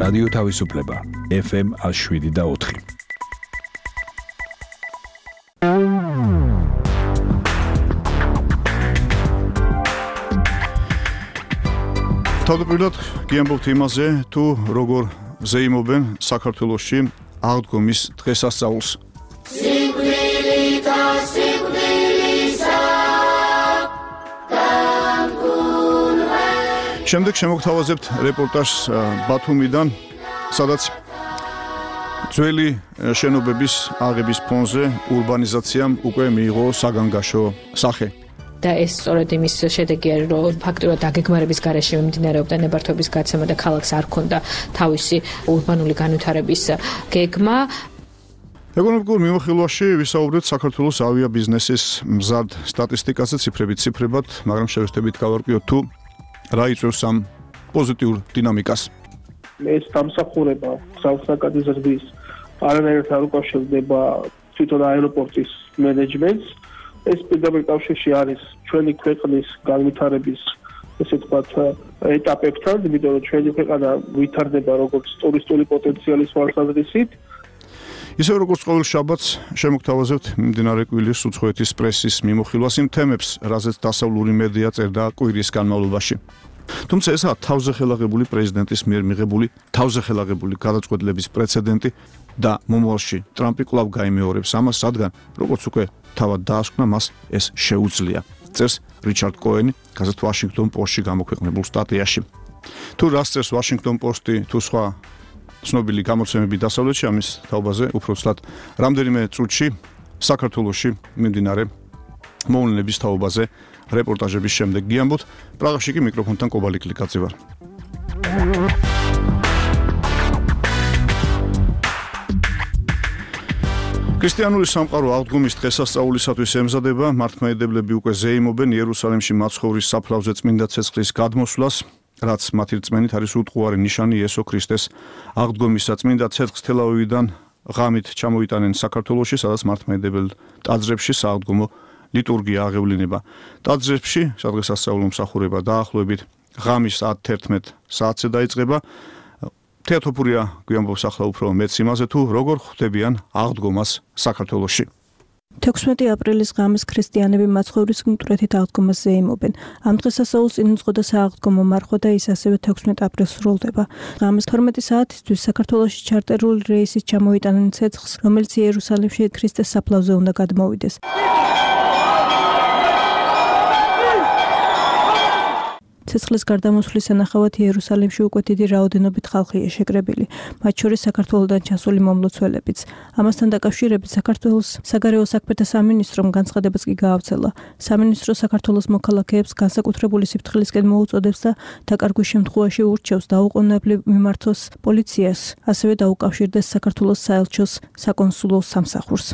რადიო თავისუფლება FM 107.4. თავდაპირველად გიამბობთ იმაზე, თუ როგორ ზეიმობენ საქართველოში აღდგომის დღესასწაულს. შემდეგ შემოგთავაზებთ რეპორტაჟს ბათუმიდან, სადაც ძველი შენობების აღების ფონზე урბანიზაციამ უკვე მიიღო საგანგაშო სახე. და ეს სწორედ იმის შედეგია, რომ ფაქტურად დაგეგმარების გარეშე მიმდინარეობდა ნებართვების გაცემა და ქალაქს არ ჰქონდა თავისი урბანული განვითარების გეგმა. ეკონომიკურ მიმოხილვაში ვისაუბრეთ საქართველოს ავიაბიზნესის მზარდ სტატისტიკაზე ციფრებად, მაგრამ შევეცდებით გავარკვიოთ თუ რაიწვევს ამ პოზიტიურ დინამიკას. ეს დამსახურება გზასაკადის ზრდის არანაირად არ უკავშირდება თვითონ აეროპორტის მენეჯმენტს. ეს პირდაპირ კავშირში არის ჩვენი ქვეყნის განვითარების, ესე ვთქვათ, ეტაპებთან, იმიტომ რომ ჩვენი ქვეყანა ვითარდება როგორც ტურისტული პოტენციალის თვალსაზრისით. ისე როგორც ყოველ შაბათს შემოგთავაზებთ მიმდინარე კვირის უცხოეთის პრესის მიმოხილვას იმ თემებს, რაზეც დასავლური მედია წერდა კვირის განმავლობაში. თუმცა ესაა თავზე ხელაღებული პრეზიდენტის მიერ მიღებული თავზე ხელაღებული გადაწყვეტილების პრეცედენტი და მომავალში ტრამპი კვლავ გაიმეორებს ამას, რადგან როგორც უკვე თავად დაასკვნა, მას ეს შეუძლია. წერს რიჩარდ კოენი გაზეთ ვაშინგტონ პოსტში გამოქვეყნებულ სტატიაში. თუ რას წერს ვაშინგტონ პოსტი, თუ სხვა ცნობილი გამოცემები დასავლეთში, ამის თაობაზე უფრო ცლად რამდენიმე წუთში საქართველოში მიმდინარე მოვლენების თაობაზე რეპორტაჟების შემდეგ გიამბობთ. პრაღაში კი მიკროფონთან კობალი კლიკაძე ვარ. ქრისტიანული სამყარო აღდგომის დღესასწაულისათვის ემზადება, მართლმადიდებლები უკვე ზეიმობენ იერუსალიმში მაცხოვრის საფლავზე წმინდა ცეცხლის გადმოსვლას, რაც მათი რწმენით არის უტყუარი ნიშანი იესო ქრისტეს აღდგომისა. წმინდა ცეცხლს თელავივიდან ღამით ჩამოიტანენ საქართველოში, სადაც მართლმადიდებელ ტაძრებში სააღდგომო ლიტურგია აღევლინება. ტაძრებში სადღესასწაულო მსახურება დაახლოებით ღამის 11 საათზე დაიწყება. თეატოფურია გვიამბობს ახლა უფრო მეც იმაზე, თუ როგორ ხვდებიან აღდგომას საქართველოში. 16 აპრილის ღამეს ქრისტიანები მაცხოვრის მკვეთრით აღდგომას ზეიმობენ. ამ დღესასწაულს წინ უძღოდა სააღდგომო მარხვა და ის ასევე 16 აპრილს სრულდება. ღამეს 12 საათისთვის საქართველოში ჩარტერული რეისით ჩამოიტანენ ცეცხლს, რომელიც იერუსალიმში ქრისტეს საფლავზე უნდა გადმოვიდეს. ცეცხლის გარდამოსვლის სანახავად იერუსალიმში უკვე დიდი რაოდენობით ხალხია შეკრებილი, მათ შორის საქართველოდან ჩასული მომლოცველებიც. ამასთან დაკავშირებით საქართველოს საგარეო საქმეთა სამინისტრომ განცხადებაც კი გაავრცელა. სამინისტრო საქართველოს მოქალაქეებს განსაკუთრებული სიფრთხილისკენ მოუწოდებს და დაკარგვის შემთხვევაში ურჩევს დაუყოვნებლივ მიმართოს პოლიციას, ასევე დაუკავშირდეს საქართველოს საელჩოს საკონსულო სამსახურს.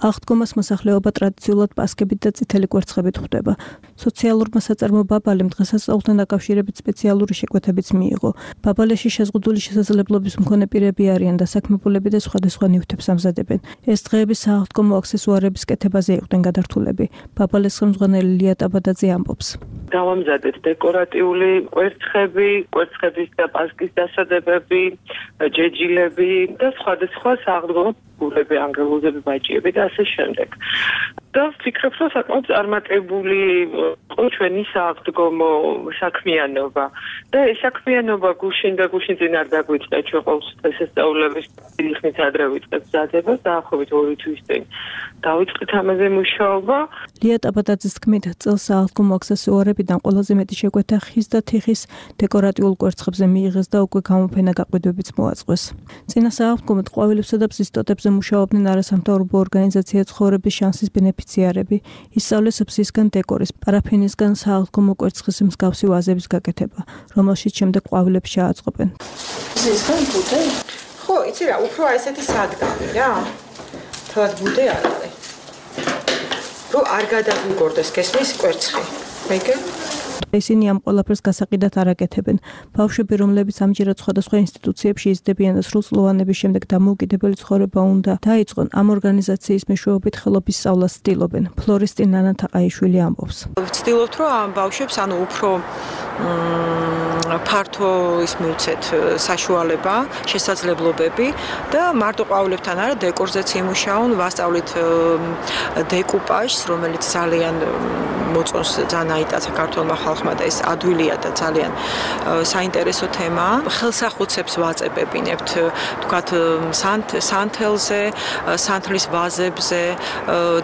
აღდგომას მოსახლეობა ტრადიციულად პასკებით და წითელი კვერცხებით ხვდება. სოციალურმა საწარმო ბაბალემ დღესასწაულთან დაკავშირებით სპეციალური შეკვეთებიც მიიღო. ბაბალეში შეზღუდული შესაძლებლობის მქონე პირები არიან და საქმებულები და სხვადასხვა ნივთებს ამზადებენ. ეს დღეები სააღდგომო აქსესუარების კეთებაზე იყვნენ გადართულები. ბაბალეს ხელმძღვანელი ლია ტაბადაძე ამბობს. დავამზადეთ დეკორატიული კვერცხები, კვერცხების და პასკის დასადებები, ჯეჯილები და სხვადასხვა სააღდგომო გულები, ანგელოზები, ბაჭიები და ასე შემდეგ. და ვფიქრობ, რომ საკმაოდ წარმატებული იყო ჩვენი სააღდგომო საქმიანობა. და ეს საქმიანობა გუშინ წინ არ დაგვიწყდა, ჩვენ ყოველთვის დღესასწაულების დიდი ხნით ადრე ვიწყებთ მზადებას, დაახლოებით 2 თვის წინ დავიწყეთ ამაზე მუშაობა. ლია ტაბადაძის თქმით, წელს სააღდგომო აქსესუარებიდან ყველაზე მეტი შეკვეთა ხის და თიხის დეკორატიულ კვერცხებზე მიიღეს და უკვე გამოფენა გაყიდვებიც მოაწყვეს. წინა სააღდგომოდ ყვავილებსა და ბზის ტოტებზე მუშაობდნენ არასამთავრობო ორგანიზაცია ცხოვრების შანსის ბენეფიციარები. ისწავლეს ბზისგან დეკორის, პარაფინისგან სააღდგომო კვერცხის მსგავსი ვაზების გაკეთება, რომელშიც შემდეგ ყვავილებს ჩააწყობენ. ბზისგან ბუდე? ხო, იცი რა, უფრო ესეთი სადგამი რა. თავად ბუდე არ არის. რომ არ გადაგვიგორდეს გესმის კვერცხი. მეგე ისინი ამ ყველაფერს გასაყიდად არ აკეთებენ. ბავშვები, რომლებიც ამჯერად სხვადასხვა ინსტიტუციებში იზრდებიან და სრულწლოვანების შემდეგ დამოუკიდებელი ცხოვრება უნდა დაიწყონ, ამ ორგანიზაციის მეშვეობით ხელობის სწავლას ცდილობენ. ფლორისტინ ნანათაყაიშვილი ამბობს. ვცდილობთ, რომ ამ ბავშვებს უფრო ფართო მივცეთ საშუალება, შესაძლებლობები და მარტო ყვავილებთან არა, დეკორზეც იმუშაონ, ვასწავლით დეკუპაჟს, რომელიც ძალიან მოწონს ძალიან აიტა საქართველოს ხალხმა და ეს ადვილია და ძალიან საინტერესო თემაა. ხელსახუცებს ვაწებებინებთ, თქვათ სანთელზე, სანთლის ვაზებზე,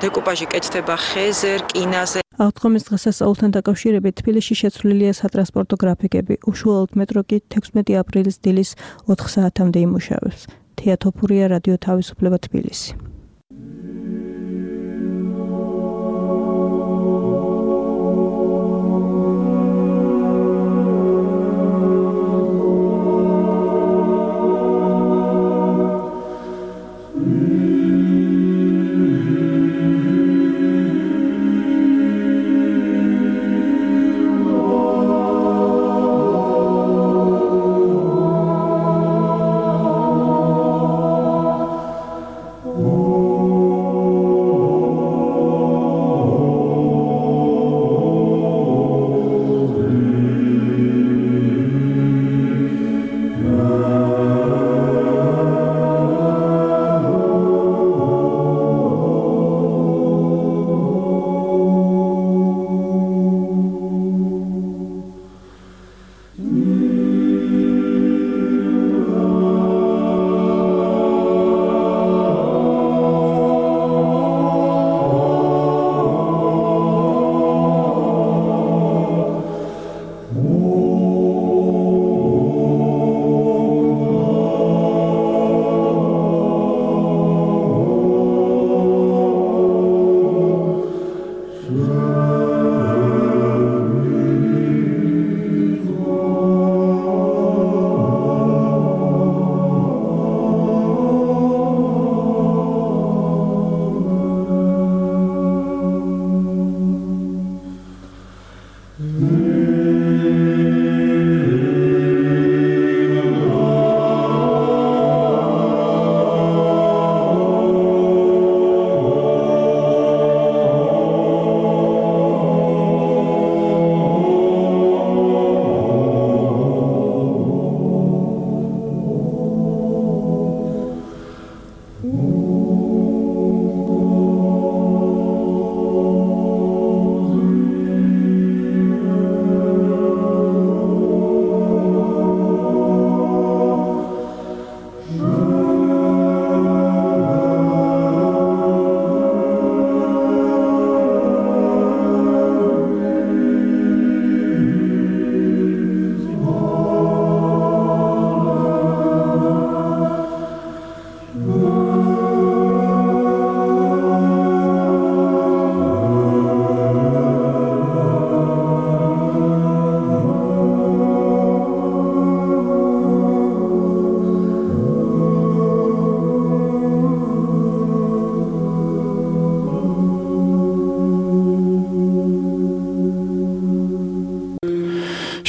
დეკუპაჟი კეთდება ხეზე, რკინაზე. აღდგომის დღესასწაულთან დაკავშირებით თბილისში შეცვლილია სატრანსპორტო გრაფიკები. უშუალოდ მეტრო კი 16 აპრილის დილის 4 საათამდე იმუშავებს. თია თოფურია, რადიო თავისუფლება, თბილისი.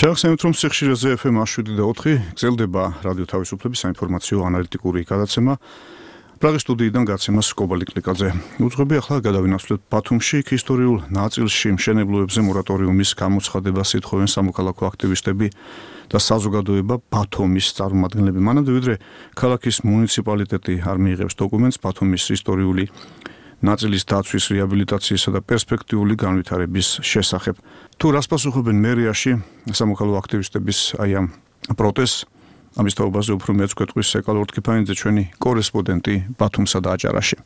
შევახსენებთ, რომ სიხშირეზე FM 7 გრძელდება რადიო თავისუფლების საინფორმაციო ანალიტიკური გადაცემა. პრაღის სტუდიიდან გაცემას კობალი კლიკაძე. უძღვები ახლა გადავინაცვლოთ ბათუმში ისტორიულ ნაწილში მშენებლობებზე მორატორიუმის გამოცხადებას ითხოვენ სამოქალაქო აქტივისტები და საზოგადოება ბათუმის წარმომადგენლები. მანამდე ვიდრე ქალაქის მუნიციპალიტეტი არ მიიღებს დოკუმენტს ბათუმის ისტორიული ნაწილის დაცვის, რეაბილიტაციისა და პერსპექტიული განვითარების შესახებ. თუ რას პასუხობენ მერიაში სამოქალაქო აქტივისტების ამ პროტესტს, ამის თაობაზე უფრო მეც გვეტყვის ეკალ ორთქიფანიძე, ჩვენი კორესპონდენტი ბათუმსა და აჭარაში.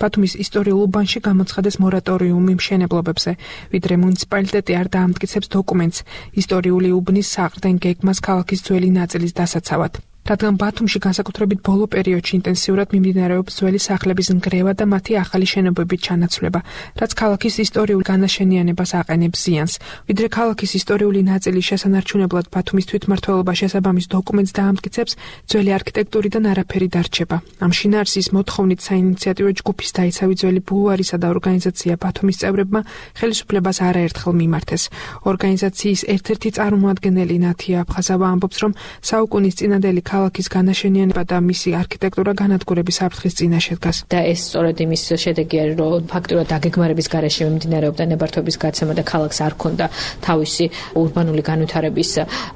ბათუმის ისტორიულ უბანში გამოცხადეს მორატორიუმი მშენებლობებზე, ვიდრე მუნიციპალიტეტი არ დაამტკიცებს დოკუმენტს ისტორიული უბნის საყრდენ გეგმას ქალაქის ძველი ნაწილის დასაცავად. რადგან ბათუმში განსაკუთრებით ბოლო პერიოდში ინტენსიურად მიმდინარეობს ძველი სახლების ნგრევა და მათი ახალი შენობებით ჩანაცვლება, რაც ქალაქის ისტორიულ განაშენიანებას აყენებს ზიანს. ვიდრე ქალაქის ისტორიული ნაწილი შესანარჩუნებლად ბათუმის თვითმმართველობა შესაბამის დოკუმენტს დაამტკიცებს, ძველი არქიტექტურიდან არაფერი დარჩება. ამ შინაარსის მოთხოვნით საინიციატივო ჯგუფის დაიცავი ძველი ბულვარისა და ორგანიზაცია ბათუმის წევრებმა ხელისუფლებას არაერთხელ მიმართეს. ორგანიზაციის ერთ-ერთი წარმომადგენელი ნათია აფხაზავა ამბობს, რომ საუკუნის წინადელი ქალაქის განაშენიანება და მისი არქიტექტურა განადგურების საფრთხის წინაშე დგას. და ეს სწორედ იმის შედეგია, რომ ფაქტურად დაგეგმარების გარეშე მიმდინარეობდა ნებართვების გაცემა და ქალაქს არ ჰქონდა თავისი ურბანული განვითარების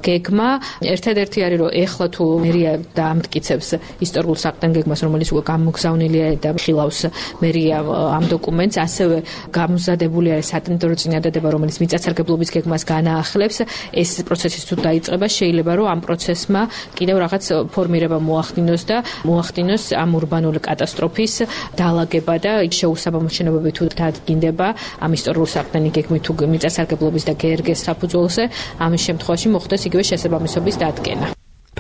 გეგმა. ერთადერთი არის, რომ ეხლა თუ მერია დაამტკიცებს ისტორიულ საყრდენ გეგმას, რომელიც უკვე გამოგზავნილია და ხილავს მერია ამ დოკუმენტს, ასევე გამოზადებული არის სატენდერო წინადადება, რომელიც მიწათსარგებლობის გეგმას განაახლებს. ეს პროცესი თუ დაიწყება, შეიძლება რომ ამ პროცესმა კიდევ რაღაც ფორმირება მოახდინოს ამ ურბანული კატასტროფის დალაგება და შეუსაბამო შენობები თუ დადგინდება ამ ისტორიულ საყრდენი გეგმით თუ მიწათსარგებლობის და გერგეს საფუძველზე, ამის შემთხვევაში მოხდეს იგივე შესაბამისობის დადგენა.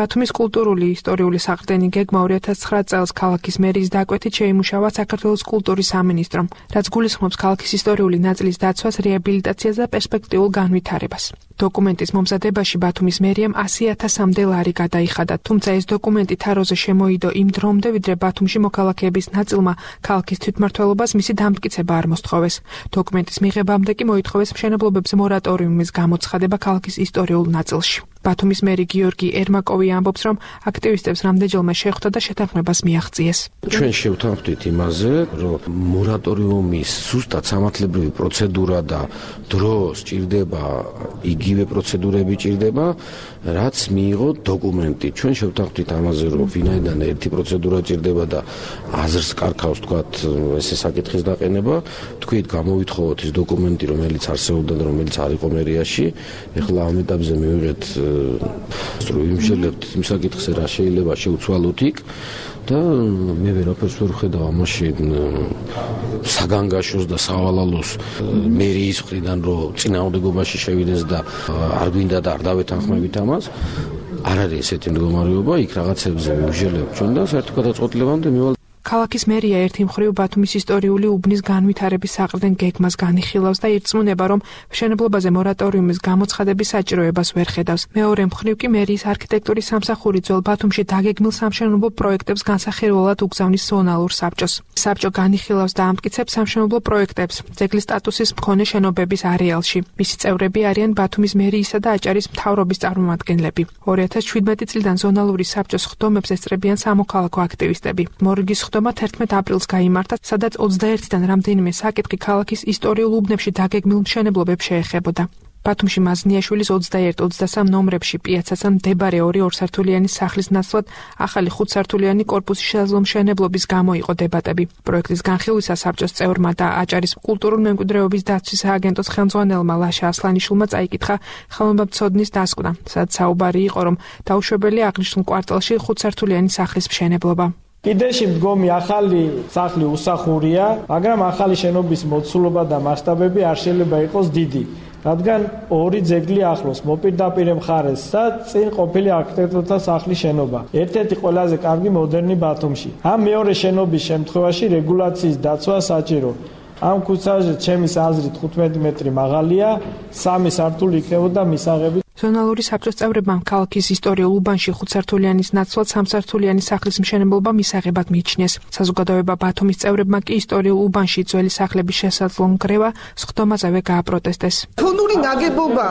ბათუმის კულტურული ისტორიული საყრდენი გეგმა 2009 წელს ქალაქის მერის დაკვეთით შეიმუშავა საქართველოს კულტურის სამინისტრომ, რაც გულისხმობს ქალაქის ისტორიული ნაწილის დაცვას, რეაბილიტაციას და პერსპექტიულ განვითარებას. დოკუმენტის მომზადებაში ბათუმის მერიამ 100,000-მდე ლარი გადაიხადა, თუმცა ეს დოკუმენტი თაროზე შემოიდო იმ დრომდე, ვიდრე ბათუმში მოქალაქეების ნაწილმა ქალაქის თვითმმართველობას მისი დამტკიცება არ მოსთხოვეს. დოკუმენტის მიღებამდე კი მოითხოვეს მშენებლობებზე მორატორიუმის გამოცხადება ქალაქის ისტორიულ ნაწილში. ბათუმის მერი გიორგი ერმაკოვი ამბობს, რომ აქტივისტებს რამდენჯერმე შეხვდა და შეთანხმებას მიაღწიეს. ჩვენ შევთანხმდით იმაზე, რომ მორატორიუმის ზუსტად სამართლებრივი პროცედურა და დრო სჭირდება, იგივე პროცედურები ჭირდება, რაც მიიღო დოკუმენტი. ჩვენ შევთანხმდით ამაზე, რომ ვინაიდან ერთი პროცედურა ჭირდება და აზრს კარქავს, თქვათ, ესე საკითხის დაყენება, თქვით გამოვითხოვოთ ის დოკუმენტი, რომელიც არსებობდა და რომელიც არ იყო მერიაში. ეხლა ამ ეტაპზე მივიღეთ ვიმშელებთ იმ საკითხზე, რა შეიძლება შევცვალოთ იქ და მე ვერაფერს ვერ ვხედავ ამაში საგანგაშოს და სავალალოს მერიის მხრიდან, რომ წინააღმდეგობაში შევიდეს და არ გვინდა და არ დავეთანხმებით ამას. არ არის ესეთი მდგომარეობა, იქ რაღაცებზე ვიმშელებთ ჩვენ და საერთო გადაწყვეტილებამდე მივალ. ქალაქის მერია ერთი მხრივ ბათუმის ისტორიული უბნის განვითარების საყრდენ გეგმას განიხილავს და ირწმუნება, რომ მშენებლობაზე მორატორიუმის გამოცხადების საჭიროებას ვერ ხედავს. მეორე მხრივ კი მერიის არქიტექტურის სამსახური ძველ ბათუმში დაგეგმილ სამშენებლო პროექტებს განსახილველად უგზავნის ზონალურ საბჭოს. საბჭო განიხილავს და ამტკიცებს სამშენებლო პროექტებს ძეგლის სტატუსის მქონე შენობების არეალში. მისი წევრები არიან ბათუმის მერიისა და აჭარის მთავრობის წარმომადგენლები. 2017 წლიდან ზონალური საბჭოს ხდომებს ესწრებიან სამოქალაქო აქტივისტები. მორიგის ხდომა 11 აპრილს გაიმართა, სადაც 21-დან რამდენიმე საკითხი ქალაქის ისტორიულ უბნებში დაგეგმილ მშენებლობებს შეეხებოდა. ბათუმში მაზნიაშვილის 21-23 ნომრებში პიაცასთან მდებარე 2 სართულიანი სახლის ნაცვლად ახალი 5 სართულიანი კორპუსის შესაძლო მშენებლობის გამო იყო დებატები. პროექტის განხილვისას საბჭოს წევრმა და აჭარის კულტურული მემკვიდრეობის დაცვის სააგენტოს ხელმძღვანელმა ლაშა ასლანიშვილმა წაიკითხა ხელოვნებაცოდნის დასკვნა, სადაც საუბარი იყო, რომ დაუშვებელია აღნიშნულ კვარტალში 5 სართულიანი სახლის მშენებლობა. კიდეში მდგომი ახალი სახლი უსახურია, მაგრამ ახალი შენობის მოცულობა და მასშტაბები არ შეიძლება იყოს დიდი, რადგან 2 ძეგლი ახლოს მოპირდაპირ მხარეს და წინ ყოფილი არქიტექტორთა სახლის შენობა. ერთ-ერთი ყველაზე კარგი მოდერნი ბათუმში. ამ მეორე შენობის შემთხვევაში რეგულაციის დაცვა საჭირო. ამ ქუჩაზე ჩემის აზრით 15 მეტრი მაღალია, 3 სართული იქნებოდა მისაღები. ზონალური საბჭოს წევრებმა ქალაქის ისტორიულ უბანში 5 სართულიანის ნაცვლად 3 სართულიანი სახლის მშენებლობა მისაღებად მიიჩნიეს. საზოგადოება ბათუმის წევრებმა კი ისტორიულ უბანში ძველი სახლების შესაძლო ნგრევა სხდომაზევე გააპროტესტეს. ფონური ნაგებობა,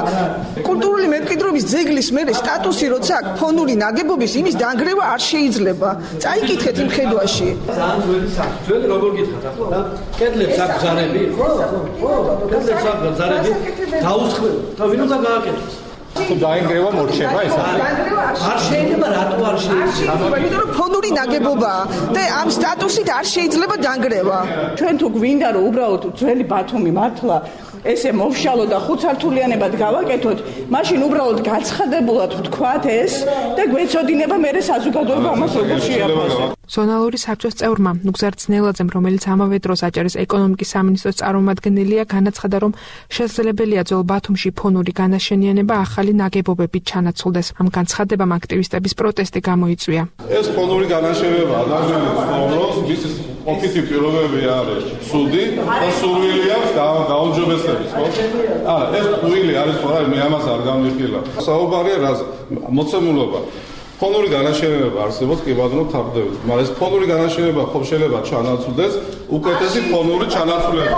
კულტურული მემკვიდრეობის ძეგლის მერე სტატუსი როცა აქვს ფონური ნაგებობის, იმის დანგრევა არ შეიძლება. წაიკითხეთ იმ ხედვაში. ძალიან ძველი სახლი. ძველი როგორ გითხათ ახლა? კედლებს აქვს ზარები? ხო. კედლებს აქვს ზარები. დაუსხმე. და ვინ უნდა გააკეთოს? თუ დაინგრევა მორჩება ეს არ შეიძლება, რატო არ შეიძლება? იმიტომ რომ ფონური ნაგებობაა და ამ სტატუსით არ შეიძლება დანგრევა. ჩვენ თუ გვინდა რომ უბრალოდ ძველი ბათუმი მართლა ესე მოვშალო და 5 სართულიანებად გავაკეთოთ, მაშინ უბრალოდ გაცხადებულად ვთქვათ ეს და გვეცოდინება მე საზოგადოება ამას როგორ შეაფასებს. ზონალური საბჭოს წევრმა ნუგზარ ძნელაძემ, რომელიც ამავე დროს აჭარის ეკონომიკის სამინისტროს წარმომადგენელია, განაცხადა, რომ შესაძლებელია ძველ ბათუმში ფონური განაშენიანება ახალი ნაგებობებით ჩანაცვლდეს. ამ განცხადებამ აქტივისტების პროტესტი გამოიწვია. ეს ფონური განაშენიანება ადამიანებს ფონოს მის ოფიცი პირობები არის სუდი და სურვილი აქვს გაუმჯობესების, ხო? არა, ეს უილი არის ხო რა, მე ამას არ გამიხილა. საუბარია რაზე? მოცემულობა. ფონური განაშენიანება არსებობს, კი ბატონო, თავდებით. მაგრამ ეს ფონური განაშენიანება ხო შეიძლება ჩანაცვლდეს უკეთესი ფონური ჩანაცვლება.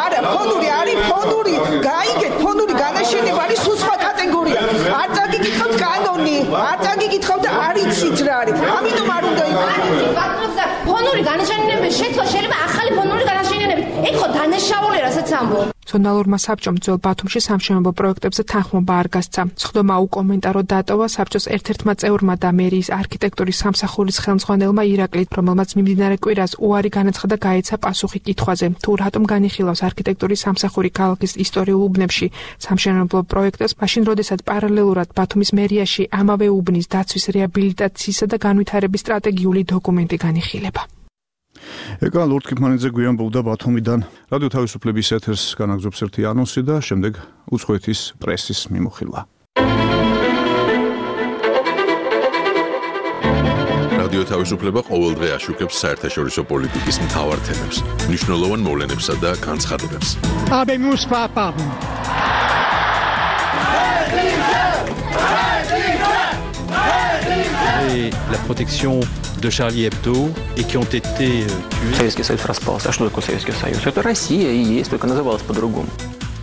არა, ფონური არის ფონური. გაიგეთ, ფონური განაშენიანება არის სულ სხვა კატეგორია. არ წაგიკითხავთ კანონი, არ წაგიკითხავთ და არ იცით რა არის. ამიტომ არ უნდა ბატონო, ფონური განაშენიანების შეცვლა შეიძლება ახალი ფონური განაშენიანებით. ეგ ხო დანაშაულია, რასაც ამბობ. ზონალურმა საბჭომ ძველ ბათუმში სამშენებლო პროექტებზე თანხმობა არ გასცა. სხდომა უკომენტარო დატოვა საბჭოს ერთ-ერთმა წევრმა და მერიის არქიტექტურის სამსახურის ხელმძღვანელმა ირაკლი, რომელმაც მიმდინარე კვირას უარი განაცხადა გაეცა პასუხი კითხვაზე, თუ რატომ განიხილავს არქიტექტურის სამსახური ქალაქის ისტორიულ უბნებში სამშენებლო პროექტებს, მაშინ როდესაც პარალელურად ბათუმის მერიაში ამავე უბნის დაცვის, რეაბილიტაციისა და განვითარების სტრატეგიული დოკუმენტი განიხილება. ეკა ლორდ კიფმანიძე გვიანბობდა ბათუმიდან. რადიო თავისუფლების ეთერს განაგზობს ერთი ანონსი და შემდეგ უცხოეთის პრესის მიმოხილვა. რადიო თავისუფლება ყოველდღე აშუქებს საერთაშორისო პოლიტიკის მთავარ თემებს, მნიშვნელოვან მოვლენებსა და განცხადებებს. Et la protection de Charlie Hebdo et qui ont été tués. Советский Союз распался. А что такое Советский Союз? Это Россия и есть, только называлась по-другому.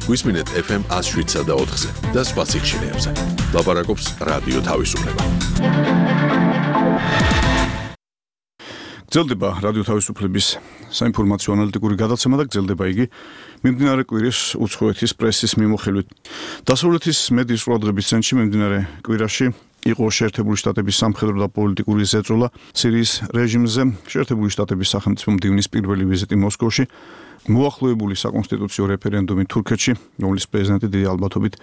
Გვისმინეთ FM 107 და 4-ზე და სხვა სიხშირეებზე. ლაპარაკობს რადიო თავისუფლება. გრძელდება რადიო თავისუფლების საინფორმაციო ანალიტიკური გადაცემა და გრძელდება იგი მიმდინარე კვირის უცხოეთის პრესის მიმოხილვით. დასავლეთის მედიის ყურადღების ცენტრში მიმდინარე კვირაში იყო შეერთებული შტატების სამხედრო და პოლიტიკური ზეწოლა სირიის რეჟიმზე. შეერთებული შტატების სახელმწიფო მდივნის პირველი ვიზიტი მოსკოვში, მოახლოებული საკონსტიტუციო რეფერენდუმი თურქეთში, რომლის პრეზიდენტი დიდი ალბათობით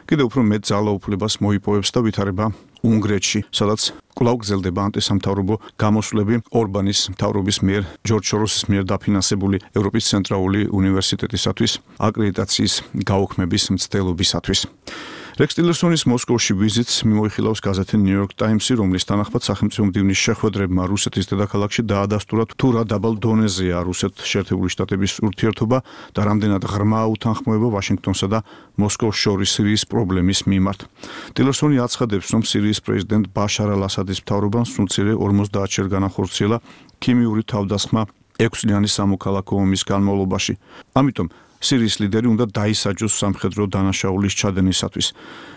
კიდევ უფრო მეტ ძალაუფლებას მოიპოვებს და ვითარება უნგრეთში, სადაც კვლავ გრძელდება ანტისამთავრობო გამოსვლები ორბანის მთავრობის მიერ ჯორჯ სოროსის მიერ დაფინანსებული ევროპის ცენტრალური უნივერსიტეტისათვის აკრედიტაციის გაუქმების მცდელობისათვის. რექს ტილერსონის მოსკოვში ვიზიტს მიმოიხილავს გაზეთი New York Times-ი, რომლის თანახმად სახელმწიფო მდივნის შეხვედრებმა რუსეთის დედაქალაქში დაადასტურა თუ რა დაბალ დონეზეა რუსეთ-შეერთებული შტატების ურთიერთობა და რამდენად ღრმაა უთანხმოება ვაშინგტონსა და მოსკოვს შორის სირიის პრობლემის მიმართ. ტილერსონი აცხადებს, რომ სირიის პრეზიდენტ ბაშარ ალ-ასადის მთავრობამ სულცირე 50-ჯერ განახორციელა ქიმიური თავდასხმა 6-წლიანი სამოქალაქო ომის განმავლობაში. ამიტომ სირიის ლიდერი უნდა დაისაჯოს სამხედრო დანაშაულის ჩადენისათვის.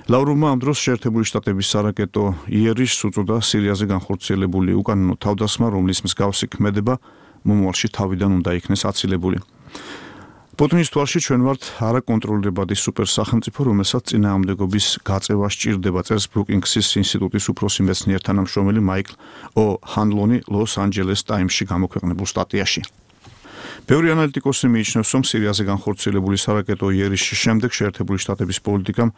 ლავროვმა ამ დროს შეერთებული შტატების სარაკეტო იერიშს უწოდა სირიაზე განხორციელებული უკანონო თავდასხმა, რომლის მსგავსი ქმედება მომავალში თავიდან უნდა იქნეს აცილებული. პუტინის თვალში ჩვენ ვართ არაკონტროლირებადი სუპერსახელმწიფო, რომელსაც წინააღმდეგობის გაწევა სჭირდება, წერს ბრუკინგსის ინსტიტუტის უფროსი მეცნიერ თანამშრომელი მაიკლ ო'ჰანლონი ლოს-ანჯელეს ტაიმსში გამოქვეყნებულ სტატიაში. ბევრი ანალიტიკოსი მიიჩნევს, რომ სირიაზე განხორციელებული სარაკეტო იერიშის შემდეგ შეერთებული შტატების პოლიტიკამ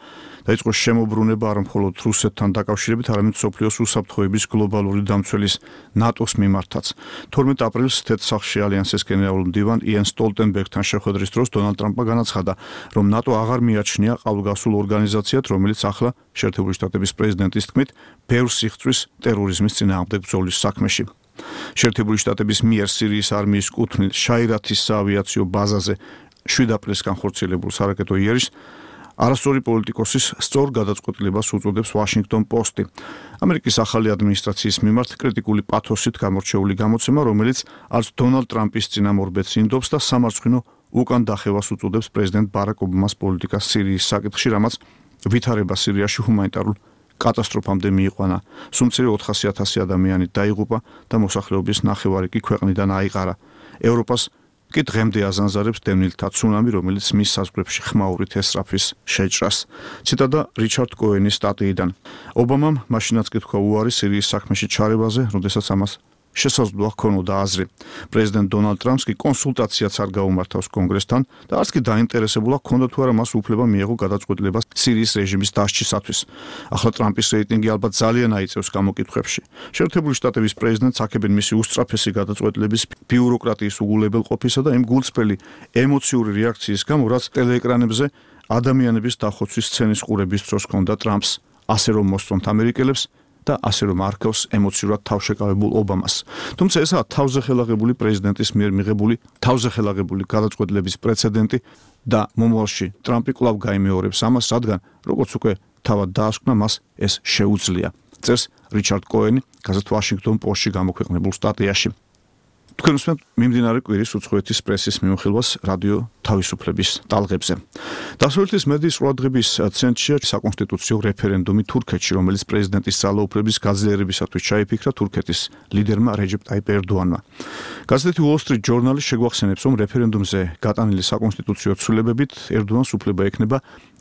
დაიწყო შემოbrunება არა მხოლოდ რუსეთთან დაკავშირებით, არამედ მსოფლიოს უსაფრთხოების გლობალური დამცველის ნატოს მიმართაც. 12 აპრილს თეთრსახში ალიანსის გენერალურ მდივან იენ სტოლტენბერგთან შეხვედრის დროს დონალდ ტრამპმა განაცხადა, რომ ნატო აღარ მიაჩნია ყალბგასულ ორგანიზაციად, რომელიც ახლა შეერთებული შტატების პრეზიდენტის თქმით ბევრს იხწვის ტერორიზმის წინააღმდეგ ბრძოლის საქმეში. შეერთებული შტატების მიერ სირიის არმიის კუთვნილ შაირათის საავიაციო ბაზაზე 7 აპრილს განხორციელებულ სარაკეტო იერიშს არასწორი პოლიტიკოსის სწორ გადაწყვეტილებას უწოდებს ვაშინგტონ პოსტი. ამერიკის ახალი ადმინისტრაციის მიმართ კრიტიკული პათოსით გამორჩეული გამოცემა, რომელიც არც დონალდ ტრამპის წინამორბედს ინდობს და სამარცხვინო უკან დახევას უწოდებს პრეზიდენტ ბარაკ ობამას პოლიტიკას სირიის საკითხში, რამაც ვითარება სირიაში ჰუმანიტარულ კატასტროფამდე მიიყვანა. სუმცირე 400,000 ადამიანი დაიღუპა და მოსახლეობის ნახევარი კი ქვეყნიდან აიყარა. ევროპას კი დღემდე აზანზარებს დევნილთა ცუნამი, რომელიც მის საზღვრებში ხმაურით ესწრაფვის შეჭრას. ციტატა რიჩარდ კოენის სტატიიდან. ობამამ მაშინაც კი თქვა უარი სირიის საქმეში ჩარევაზე, როდესაც ამას შესაძლოა ჰქონოდა აზრი. პრეზიდენტ დონალდ ტრამპს კი კონსულტაციაც არ გაუმართავს კონგრესთან და არც კი დაინტერესებულა ჰქონდა თუ არა მას უფლება მიეღო გადაწყვეტილება სირიის რეჟიმის დასჯისათვის. ახლა ტრამპის რეიტინგი ალბათ ძალიან აიწევს გამოკითხვებში. შეერთებული შტატების პრეზიდენტს აქებენ მისი უსწრაფესი გადაწყვეტილების ბიუროკრატიის უგულებელყოფისა და იმ გულწრფელი ემოციური რეაქციის გამო, რაც ტელეეკრანებზე ადამიანების დახოცვის სცენის ყურების დროს ჰქონდა ტრამპს, ასე რომ მოსწონთ ამერიკელებს და ასე რომ არქევს ემოციურად თავშეკავებულ ობამას. თუმცა ესაა თავზეხელაღებული პრეზიდენტის მიერ მიღებული თავზეხელაღებული გადაწყვეტილების პრეცედენტი და მომავალში ტრამპი კვლავ გაიმეორებს ამას, რადგან როგორც უკვე თავად დაასკვნა, მას ეს შეუძლია. წერს რიჩარდ კოენი გაზეთ ვაშინგტონ პოსტში გამოქვეყნებულ სტატიაში. თქვენ უსმენთ მიმდინარე კვირის უცხოეთის პრესის მიმოხილვას რადიო თავისუფლების ტალღებზე. დასავლეთის მედიის ყურადღების ცენტრშია საკონსტიტუციო რეფერენდუმი თურქეთში, რომელიც პრეზიდენტის ძალაუფლების გაძლიერებისათვის ჩაიფიქრა თურქეთის ლიდერმა რეჯეპ ტაიპ ერდოანმა. გაზეთი Wall Street Journal შეგვახსენებს, რომ რეფერენდუმზე გატანილი საკონსტიტუციო ცვლილებებით ერდოანს უფლება ექნება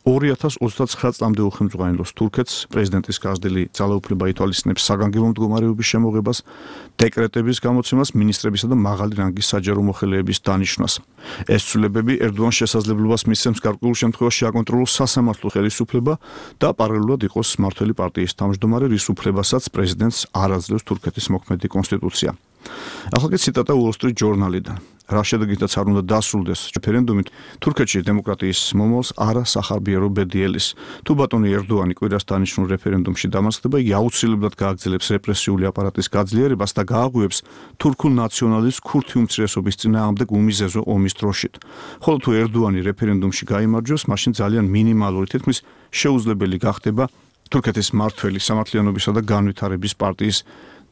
2029 წლამდე უხელმძღვანელოს თურქეთს, პრეზიდენტის გაზრდილი ძალაუფლება ითვალისწინებს საგანგებო მდგომარეობის შემოღებას, დეკრეტების გამოცემას, მინისტრებისა და მაღალი რანგის საჯარო მოხელეების დანიშვნას. ეს ცვლილებები ერდოანს შესაძლებლობას მისცემს გარკვეულ შემთხვევაში აკონტროლოს სასამართლო ხელისუფლება და პარალელურად იყოს მმართველი პარტიის თავმჯდომარე, რის უფლებასაც პრეზიდენტს არ აძლევს თურქეთის მოქმედი კონსტიტუცია. ახლა კი ციტატა Wall Street Journal-დან. რა შედეგითაც არ უნდა დასრულდეს რეფერენდუმით, თურქეთში დემოკრატიის მომავალს არ ასახარბიარო ბედიელის. თუ ბატონი ერდოანი კვირას დანიშნულ რეფერენდუმში დამარცხდება, იგი აუცილებლად გააგრძელებს რეპრესიული აპარატის გაძლიერებას და გააღვივებს თურქულ ნაციონალიზმს ქურთი უმცირესობის წინააღმდეგ უმიზეზო ომის დროშით. ხოლო თუ ერდოანი რეფერენდუმში გაიმარჯვებს, მაშინ ძალიან მინიმალური, თითქმის შეუძლებელი გახდება თურქეთის მმართველი სამართლიანობისა და განვითარების პარტიის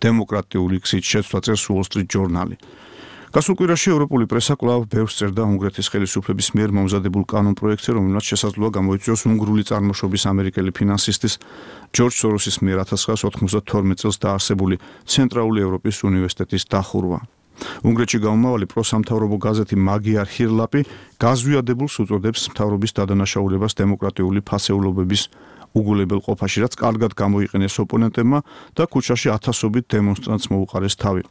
დემოკრატიული გზით შეცვლა, წერს Wall Street Journal. გასულ კვირაში ევროპული პრესა კვლავ ბევრს წერდა უნგრეთის ხელისუფლების მიერ მომზადებულ კანონპროექტზე, რომელმაც შესაძლოა გამოიწვიოს უნგრული წარმოშობის ამერიკელი ფინანსისტის ჯორჯ სოროსის მიერ 1992 წელს დაარსებული ცენტრალური ევროპის უნივერსიტეტის დახურვა. უნგრეთში გამომავალი პროსამთავრობო გაზეთი მაგიარ ჰირლაპი გაზვიადებულს უწოდებს მთავრობის დადანაშაულებას დემოკრატიული ფასეულობების უგულებელ ყოფაში, რაც კარგად გამოიყენეს ოპონენტებმა და ქუჩაში ათასობით დემონსტრანტს მოუყარეს თავი.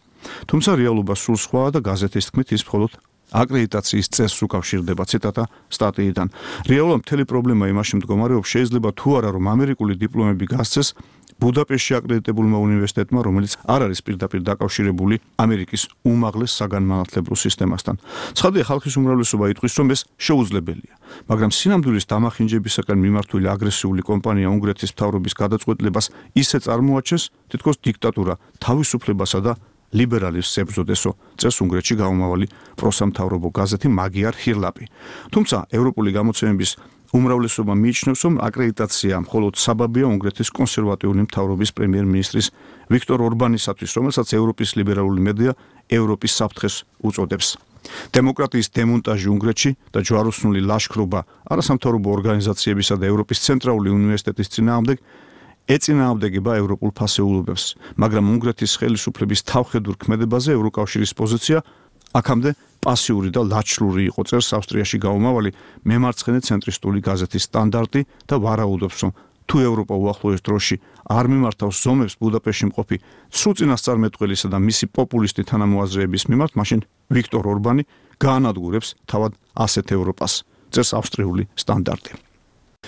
თუმცა რეალობა სულ სხვაა და გაზეთის თქმით ის მხოლოდ აკრედიტაციის წესს უკავშირდება. ციტატა სტატიიდან. რეალურად მთელი პრობლემა იმაში მდგომარეობს, შეიძლება თუ არა რომ ამერიკული დიპლომები გასცეს ბუდაპეშტში აკრედიტებულმა უნივერსიტეტმა, რომელიც არ არის პირდაპირ დაკავშირებული ამერიკის უმაღლეს საგანმანათლებლო სისტემასთან. ცხადია, ხალხის უმრავლესობა იტყვის, რომ ეს შეუძლებელია, მაგრამ სინამდვილის დამახინჯებისაკენ მიმართული აგრესიული კომპანია უნგრეთის მთავრობის გადაწყვეტილებას ისე წარმოაჩენს, თითქოს დიქტატურა თავისუფლებასა და ლიბერალიზმს ებრძოდესო, წერს უნგრეთში გამომავალი პროსამთავრობო გაზეთი მაგიარ ჰირლაპი. თუმცა ევროპული გამოცემების უმრავლესობა მიიჩნევს, რომ აკრედიტაცია მხოლოდ საბაბია უნგრეთის კონსერვატიული მთავრობის პრემიერ-მინისტრის ვიქტორ ორბანისათვის, რომელსაც ევროპის ლიბერალური მედია ევროპის საფრთხეს უწოდებს. დემოკრატიის დემონტაჟი უნგრეთში და ჯვაროსნული ლაშქრობა არასამთავრობო ორგანიზაციებისა და ევროპის ცენტრალური უნივერსიტეტის წინააღმდეგ ეწინააღმდეგება ევროპულ ფასეულობებს, მაგრამ უნგრეთის ხელისუფლების თავხედურ ქმედებაზე ევროკავშირის პოზიცია აქამდე პასიური და ლაჩლური იყო, წერს ავსტრიაში გამომავალი მემარცხენე ცენტრისტული გაზეთი სტანდარტი და ვარაუდობს, რომ თუ ევროპა უახლოეს დროში არ მიმართავს ზომებს ბუდაპეშტში მყოფი ცრუ წინასწარმეტყველისა და მისი პოპულისტი თანამოაზრეების მიმართ, მაშინ ვიქტორ ორბანი გაანადგურებს თავად ასეთ ევროპას, წერს ავსტრიული სტანდარტი.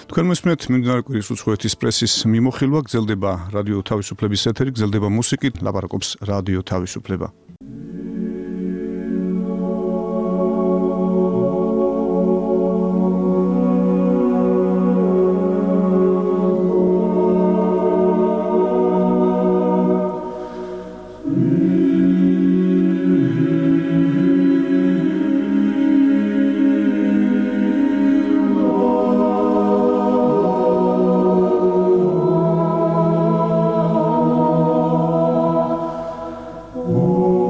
თქვენ მოსმენთ მიმდინარე კვირის უცხოეთის პრესის მიმოხილვა, გრძელდება რადიო თავისუფლების ეთერი, გრძელდება მუსიკით, ლაპარაკობს რადიო თავისუფლება. Oh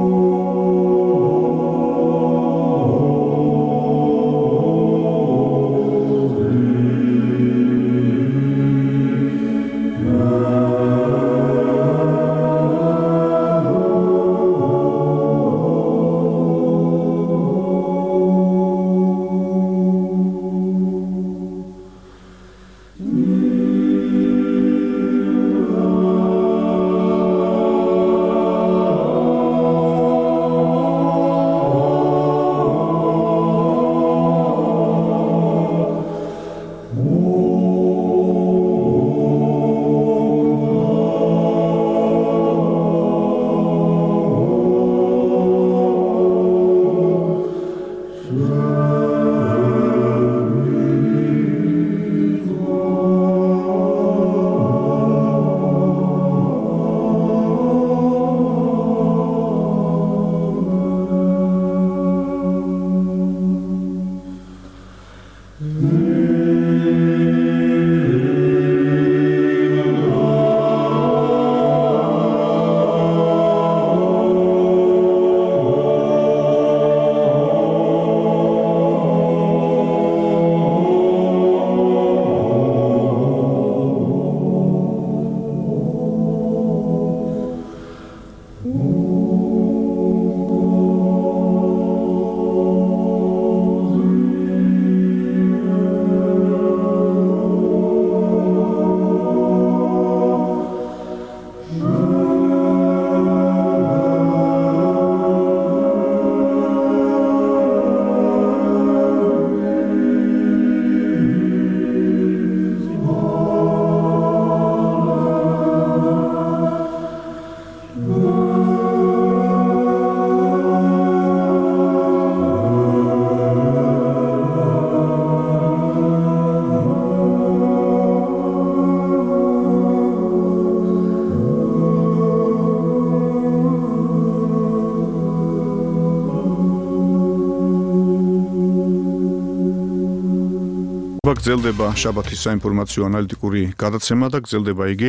გრძელდება შაბათის საინფორმაციო ანალიტიკური გადაცემა და გრძელდება იგი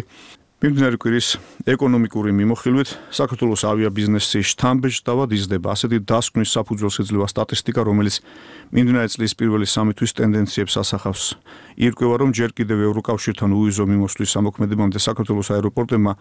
მიმდინარე კვირის ეკონომიკური მიმოხილვით. საქართველოს ავიაბიზნესი შთამბეჭდავად იზრდება. ასეთი დასკვნის საფუძველს ეძლევა სტატისტიკა, რომელიც მიმდინარე წლის პირველი 3 თვის ტენდენციებს ასახავს. ირკვევა, რომ ჯერ კიდევ ევროკავშირთან უვიზო მიმოსვლის ამოქმედებამდე საქართველოს აეროპორტებმა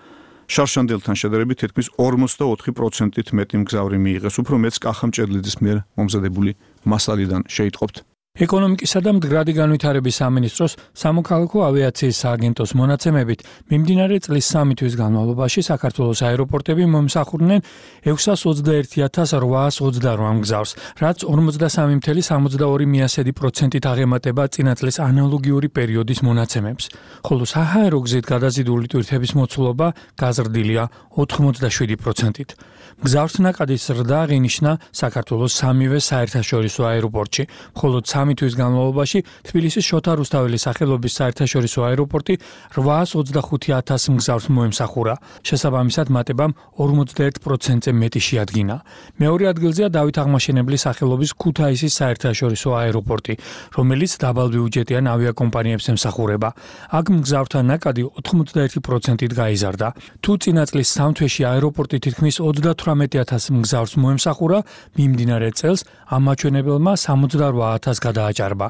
შარშანდელთან შედარებით თითქმის 44%-ით მეტი მგზავრი მიიღეს. უფრო მეც კახა მჭედლიძის მიერ მომზადებული მასალიდან შეიტყობთ. ეკონომიკისა და მდგრადი განვითარების სამინისტროს სამოქალაქო ავიაციის სააგენტოს მონაცემებით მიმდინარე წლის 3 თვის განმავლობაში საქართველოს აეროპორტები მომსახურდნენ 621,828 მგზავრს, რაც 43,62%-ით აღემატება წინა წლის ანალოგიური პერიოდის მონაცემებს. ხოლო საჰაერო გზით გადაზიდული ტვირთების მოცულობა გაზრდილია 87%-ით. მგზავრთა ნაკადის ზრდა აღინიშნა საქართველოს სამივე საერთაშორისო აეროპორტში, ხოლო 3 თვის განმავლობაში თბილისის შოთა რუსთაველის სახელობის საერთაშორისო აეროპორტი 825,000 მგზავრს მოემსახურა. შესაბამისად მატებამ 41%-ზე მეტი შეადგინა. მეორე ადგილზეა დავით აღმაშენებლის სახელობის ქუთაისის საერთაშორისო აეროპორტი, რომელიც დაბალბიუჯეტიან ავიაკომპანიებს ემსახურება. აქ მგზავრთა ნაკადი 91%-ით გაიზარდა. თუ წინა წლის 3 თვეში აეროპორტი თითქმის 38,000 მგზავრს მოემსახურა, მიმდინარე წელს ამ მაჩვენებელმა 68,000 გადააჭარბა.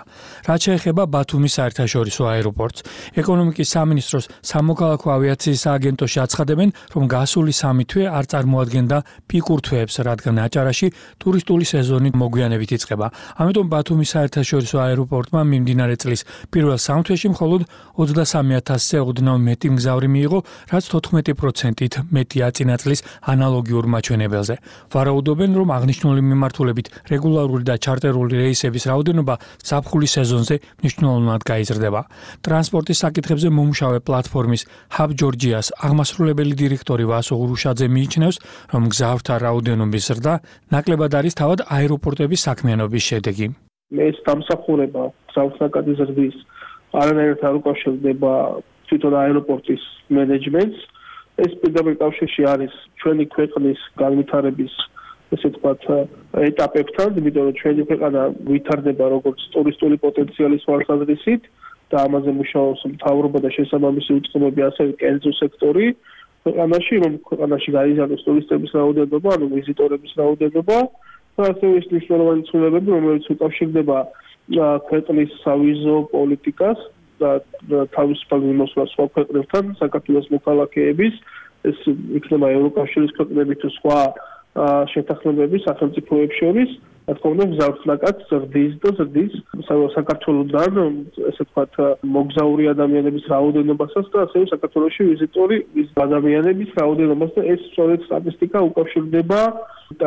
რაც შეეხება ბათუმის საერთაშორისო აეროპორტს, ეკონომიკის სამინისტროს სამოქალაქო ავიაციის სააგენტოში აცხადებენ, რომ გასული 3 თვე არ წარმოადგენდა პიკურ თვეებს, რადგან აჭარაში ტურისტული სეზონი მოგვიანებით იწყება. ამიტომ ბათუმის საერთაშორისო აეროპორტმა მიმდინარე წლის პირველ 3 თვეში მხოლოდ 23,000-ზე ოდნავ მეტი მგზავრი მიიღო, რაც 14%-ით მეტია წინა წლის ანალოგიურ მაჩვენებელზე. ვარაუდობენ, რომ აღნიშნული მიმართულებით რეგულარული და ჩარტერული რეისების რაოდენობა ზაფხულის სეზონზე მნიშვნელოვნად გაიზრდება. ტრანსპორტის საკითხებზე მომუშავე პლატფორმის Hub Georgias აღმასრულებელი დირექტორი ვასო ურუშაძე მიიჩნევს, რომ მგზავრთა რაოდენობის ზრდა ნაკლებად არის თავად აეროპორტების საქმიანობის შედეგი. ეს დამსახურება მგზავრთა ნაკადის ზრდის არანაირად არ უკავშირდება თვითონ აეროპორტის მენეჯმენტს. ეს პირდაპირ კავშირში არის ჩვენი ქვეყნის განვითარების ესე ვთქვათ ეტაპებთან, იმიტომ რომ ჩვენი ქვეყანა ვითარდება როგორც ტურისტული პოტენციალის თვალსაზრისით და ამაზე მუშაობს მთავრობა და შესაბამისი უწყებები, ასევე კერძო სექტორი ქვეყანაში, რომ ქვეყანაში გაიზარდოს ტურისტების რაოდენობა, ანუ ვიზიტორების რაოდენობა და ასევე ის მნიშვნელოვანი ცვლილებები, რომელიც უკავშირდება ქვეყნის სავიზო პოლიტიკას და თავისუფალ მიმოსვლას სხვა ქვეყნებთან, საქართველოს მოქალაქეების, ეს იქნება ევროკავშირის ქვეყნები თუ სხვა შეთანხმებები სახელმწიფოებს შორის, რა თქმა უნდა, მგზავრთა ნაკადს ზრდის და ზრდის საქართველოსთან, ესე ვთქვათ, მოგზაური ადამიანების რაოდენობასაც და ასევე საქართველოში ვიზიტორი ადამიანების რაოდენობას და ეს სწორედ სტატისტიკა უკავშირდება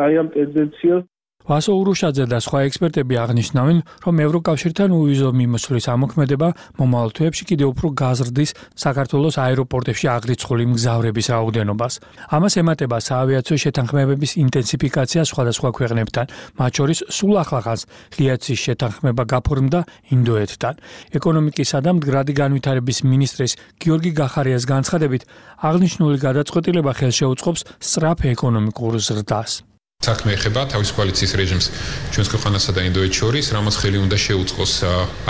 აი ამ ტენდენციას. ვასო ურუშაძე და სხვა ექსპერტები აღნიშნავენ, რომ ევროკავშირთან უვიზო მიმოსვლის ამოქმედება მომავალ თვეებში კიდევ უფრო გაზრდის საქართველოს აეროპორტებში აღრიცხული მგზავრების რაოდენობას. ამას ემატება საავიაციო შეთანხმებების ინტენსიფიკაცია სხვადასხვა ქვეყნებთან, მათ შორის სულ ახლახანს ღიაცის შეთანხმება გაფორმდა ინდოეთთან. ეკონომიკისა და მდგრადი განვითარების მინისტრის გიორგი გახარიას განცხადებით, აღნიშნული გადაწყვეტილება ხელშეუწყობს სწრაფ ეკონომიკურ ზრდას. საქმე ეხება თავის კოალიციის რეჟიმს ჩვენს ქვეყანასა და ინდოეთს შორის, რამაც ხელი უნდა შეუწყოს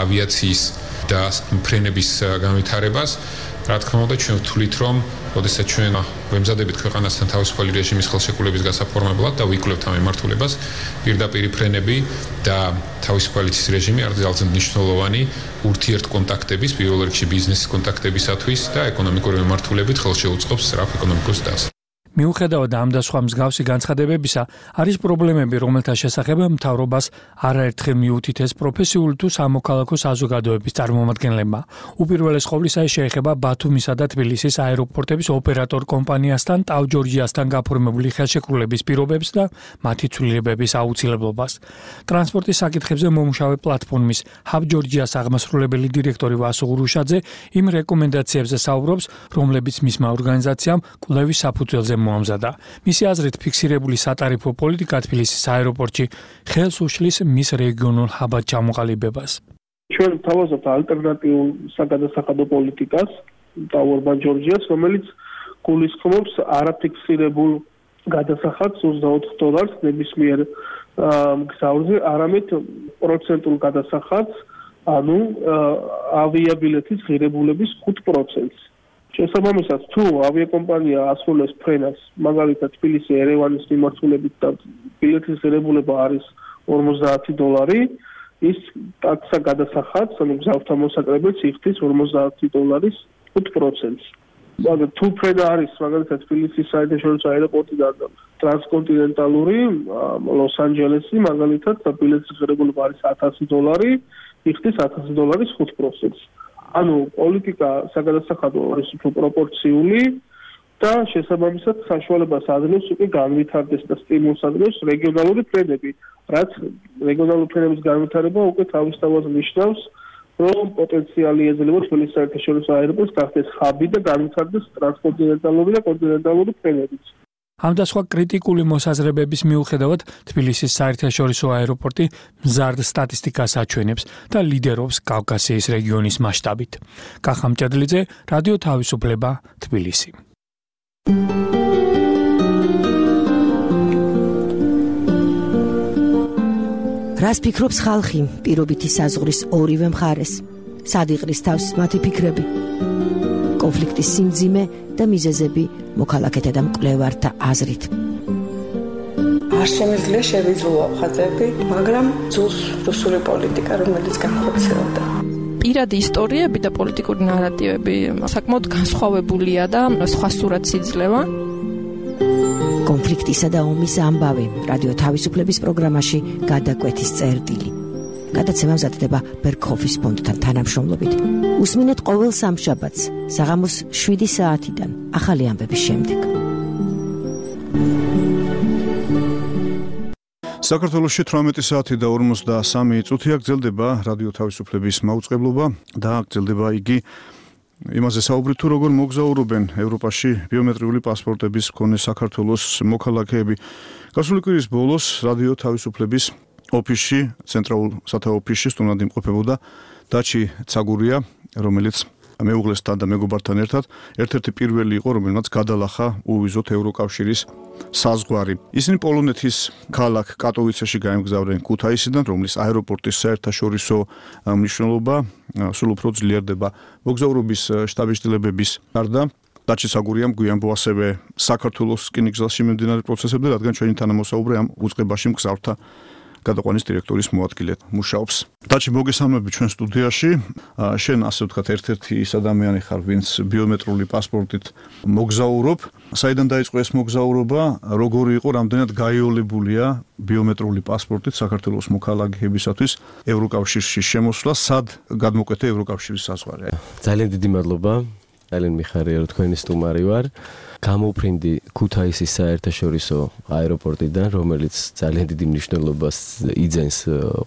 ავიაციის და ფრენების განვითარებას. რა თქმა უნდა, ჩვენ ვთვლით, რომ როდესაც ჩვენ ვემზადებით ქვეყანასთან თავისუფალი რეჟიმის ხელშეკრულების გასაფორმებლად და ვიკვლევთ ამ მიმართულებას, პირდაპირ ფრენები და თავისუფალი რეჟიმი არის ძალზედ მნიშვნელოვანი ურთიერთკონტაქტების, პირველ რიგში ბიზნესის კონტაქტებისათვის და ეკონომიკური მიმართულებით ხელშეუწყობს სწრაფ ეკონომიკურ ზრდას. მიუხედავად ამ და სხვა მსგავსი განცხადებებისა, არის პრობლემები, რომელთა შესახებ მთავრობას არაერთხელ მიუთითეს პროფესიული თუ სამოქალაქო საზოგადოების წარმომადგენლებმა. უპირველეს ყოვლისა ეს შეეხება ბათუმისა და თბილისის აეროპორტების ოპერატორ კომპანიასთან TAV Georgiasთან გაფორმებული ხელშეკრულების პირობებს და მათი ცვლილებების აუცილებლობას. ტრანსპორტის საკითხებზე მომუშავე პლატფორმის Hub Georgias აღმასრულებელი დირექტორი ვასო ურუშაძე იმ რეკომენდაციებზე საუბრობს, რომლებიც მისმა ორგანიზაციამ კვლევის საფუძველზე მოამზადა. მისი აზრით, ფიქსირებული სატარიფო პოლიტიკა თბილისის აეროპორტში ხელს უშლის მის რეგიონულ ჰაბად ჩამოყალიბებას. ჩვენ თავაზობთ ალტერნატიულ საგადასახადო პოლიტიკას, TAV Georgias, რომელიც გულისხმობს არაფიქსირებულ გადასახადს $24 ნებისმიერ მგზავრზე, არამედ პროცენტულ გადასახადს ანუ ავიაბილეთის ღირებულების 5%-ს. შესაბამისად, თუ ავიაკომპანია ასრულებს ფრენას, მაგალითად თბილისი-ერევანის მიმართულებით და ბილეთის ღირებულება არის $50, ის ტაქსა გადასახადს, ანუ მგზავრთა მოსაკრებელს იხდის $50 5%-ს. მაგრამ თუ ფრენა არის მაგალითად თბილისის საერთაშორისო აეროპორტიდან ტრანსკონტინენტალური ლოს-ანჯელესი, მაგალითად და ბილეთის ღირებულება არის $1000, იხდის $1000 5%-ს. ანუ პოლიტიკა საგადასახადო არის უფრო პროპორციული და შესაბამისად საშუალებას ადნევს უკვე განვითარდეს და სტიმულს ადნევს რეგიონალური ფრენები, რაც რეგიონალური ფრენების განვითარება უკვე თავისთავად ნიშნავს, რომ პოტენციალი ეძლევა თბილისის საერთაშორისო აეროპორტს გახდეს ჰაბი და განვითარდეს ტრანსკონტინენტალური და კონტინენტალური ფრენებიც. ამ და სხვა კრიტიკული მოსაზრებების მიუხედავად თბილისის საერთაშორისო აეროპორტი მზარდ სტატისტიკას აჩვენებს და ლიდერობს კავკასიის რეგიონის მასშტაბით. კახა მჭედლიძე, რადიო თავისუფლება, თბილისი. რას ფიქრობს ხალხი პირობითი საზღვრის ორივე მხარეს? სად იყრის თავს მათი ფიქრები? კონფლიქტის სიმძიმე და მიზეზები მოქალაქეთა და მკვლევართა აზრით. არ შემიძლია შევიძულო ხაზები, მაგრამ ძულს რუსული პოლიტიკა, რომელიც განხორციელდა. პირადი ისტორიები და პოლიტიკური ნარატივები საკმაოდ განსხვავებულია და სხვა სურათს იძლევა. კონფლიქტისა და ომის ამბავი რადიო თავისუფლების პროგრამაში გადაკვეთის წერტილი. გადაცემა მზადდება ბერგჰოფის ფონდთან თანამშრომლობით. უსმინეთ ყოველ სამშაბათს საღამოს 7 საათიდან ახალი ამბების შემდეგ. საქართველოში 18 საათი და 53 წუთია გრძელდება რადიო თავისუფლების მაუწყებლობა და გრძელდება იგი იმაზე საუბრით თუ როგორ მოგზაურობენ ევროპაში ბიომეტრიული პასპორტების მქონე საქართველოს მოქალაქეები. გასული კვირის ბოლოს რადიო თავისუფლების ოფისში, ცენტრალურ სათავო ოფისში სტუმრად იმყოფებოდა დაჩი ცაგურია, რომელიც მეუღლესთან და მეგობართან ერთად ერთ-ერთი პირველი იყო, რომელმაც გადალახა უვიზოთ ევროკავშირის საზღვარი. ისინი პოლონეთის ქალაქ კატოვიცეში გაემგზავრნენ ქუთაისიდან, რომლის აეროპორტის საერთაშორისო მნიშვნელობა სულ უფრო ძლიერდება. მოგზაურობის შტაბის-შტილებების გარდა დაჩი ცაგურიამ გვიანბო ასევე საქართველოს რკინიგზელში მიმდინარე პროცესებზე, რადგან ჩვენი თანამოსაუბრე ამ უწყებაში მგზავრთა გადაყვანის დირექტორის მოადგილედ მუშაობს. დაჩი, მოგესალმები ჩვენ სტუდიაში. შენ ასე ვთქვათ, ერთ-ერთი ის ადამიანი ხარ, ვინც ბიომეტრიული პასპორტით მოგზაურობ. საიდან დაიწყო ეს მოგზაურობა? როგორი იყო, რამდენად გაიოლებულია ბიომეტრიული პასპორტით საქართველოს მოქალაქეებისათვის ევროკავშირში შემოსვლა? სად გადმოკვეთა ევროკავშირის საზღვარი? ძალიან დიდი მადლობა. ძალიან მიხარია, რომ თქვენი სტუმარი ვარ. გამოფრინდი ქუთაისის საერთაშორისო აეროპორტიდან, რომელიც ძალიან დიდი მნიშვნელობას იძენს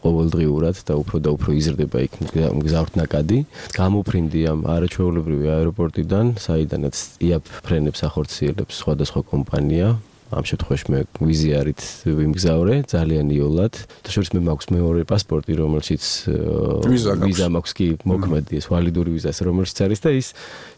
ყოველდღიურად და უფრო იზრდება იქ მგზავრთნაკადი. გამოფრინდი ამ არაჩვეულებრივი აეროპორტიდან, საიდანაც იაპ ფრენებს ახორციელებს სხვადასხვა კომპანია. ამ შემთხვევაში მე ვიზიარით ვიმგზავრე ძალიან იოლად. თაშორის მე მაქვს მეორე პასპორტი, რომელშიც ვიზა მაქვს კი მოქმედი ეს ვალიდური ვიზას, რომელშიც არის და ის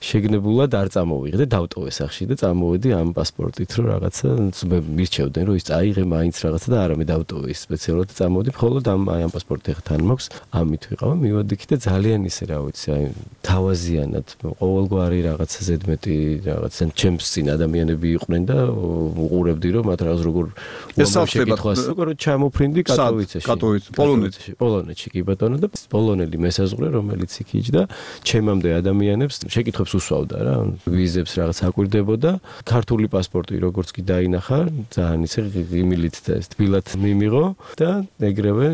შეგნებულად არ წამოვიღე და დავტოვე სახში და წამოვედი ამ პასპორტით, რომ რაღაცა მე მირჩევდნენ, რომ ის წაიღე მაინც რაღაცა და არა მე დავტოვე ის სპეციალურად წამოვედი, მხოლოდ ამ პასპორტი ახლა თან მაქვს, ამით ვიყავ, მივედი და ძალიან ისე რა ვიცი, აი თავაზიანად ყოველგვარი რაღაცა ზედმეტი რაღაცა ჩემს წინ ადამიანები იყვნენ და უყურებდი რომ მათ რაღაც როგორ შეკითხვას როგორ ჩამოფრინდი კატოვიცეში პოლონეთში კი ბატონო და პოლონელი მესაზღვრე რომელიც იქ იჯდა ჩემამდე ადამიანებს შეკითხვებს უსვავდა რა ვიზებს რაღაც აკვირდებოდა ქართული პასპორტი როგორც კი დაინახა ძალიან ისე ღიმილით და ეს თბილად მიმიღო და ეგრევე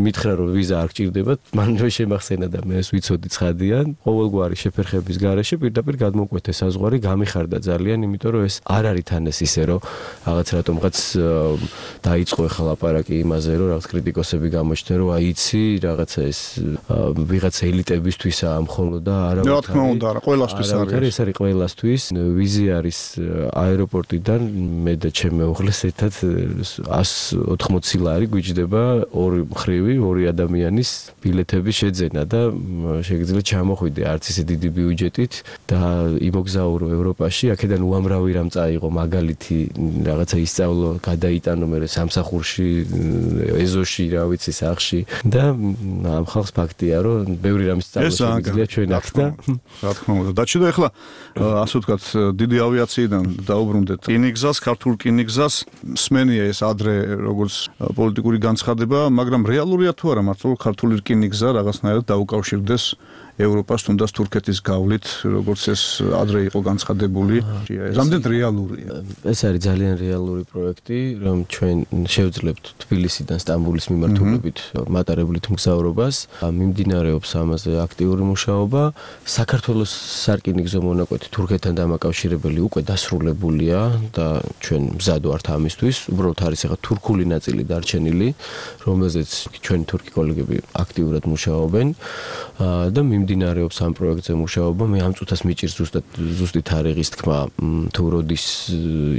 მითხრა რომ ვიზა არ გჭირდება მანვე შემახსენა და მე ეს ვიცოდი ცხადიან ყოველგვარი შეფერხების გარეშე პირდაპირ გადმოკვეთე საზღვარი გამიხარდა ძალიან იმიტომ რომ ეს არ არის თან ეს ისე რომ რაღაც რატომღაც დაიწყო ახლა ლაპარაკი იმაზე რომ რაღაც კრიტიკოსები გამოჩნდნენ რომ აიცი რაღაცა ეს ვიღაცა ელიტებისთვისაა მხოლოდ და არა რა თქმა უნდა არა ყველასთვის არის ეს არის ყველასთვის ვიზი არის აეროპორტიდან მე და ჩემი მეუღლეს ერთად 180 ლარი გვიჯდება ორი მხრივი ორი ადამიანის ბილეთების შეძენა და შეგიძლიათ ჩამოხვიდე არც ისე დიდი ბიუჯეტით და იმოგზაურო ევროპაში აქედან უამრავი რამ წაიღო მაგალითი რაღაცა ისწავლო, გადაიტანო მე სამსახურში, ეზოში, რა ვიცი, სახში და ამ ხალხს ფაქტია, რომ ბევრი რამის სწავლა შეგვიძლია ჩვენ აქ და რა თქმა უნდა. დაჩიდა ახლა ასე ვთქვათ, დიდი ავიაციიდან დაუბრუნდეთ რკინიგზას, ქართულ რკინიგზას. სმენია ეს ადრე როგორც პოლიტიკური განცხადება, მაგრამ რეალურია თუ არა მართლა ქართული რკინიგზა რაღაცნაირად დაუკავშირდეს ევროპას თუნდაც თურქეთის გავლით, როგორც ეს ადრე იყო განცხადებული. რამდენად რეალურია? ეს არის ძალიან რეალური პროექტი, რომ ჩვენ შევძლებთ თბილისიდან სტამბოლის მიმართულებით მატარებლით მგზავრობას. მიმდინარეობს ამაზე აქტიური მუშაობა. საქართველოს სარკინიგზო მონაკვეთი თურქეთთან დამაკავშირებელი უკვე დასრულებულია და ჩვენ მზად ვართ ამისთვის. უბრალოდ არის ახლა თურქული ნაწილი დარჩენილი, რომელზეც ჩვენი თურქი კოლეგები აქტიურად მუშაობენ და მიმდინარეობს ამ პროექტზე მუშაობა. მე ამ წუთას მიჭირს ზუსტი თარიღის თქმა, თუ როდის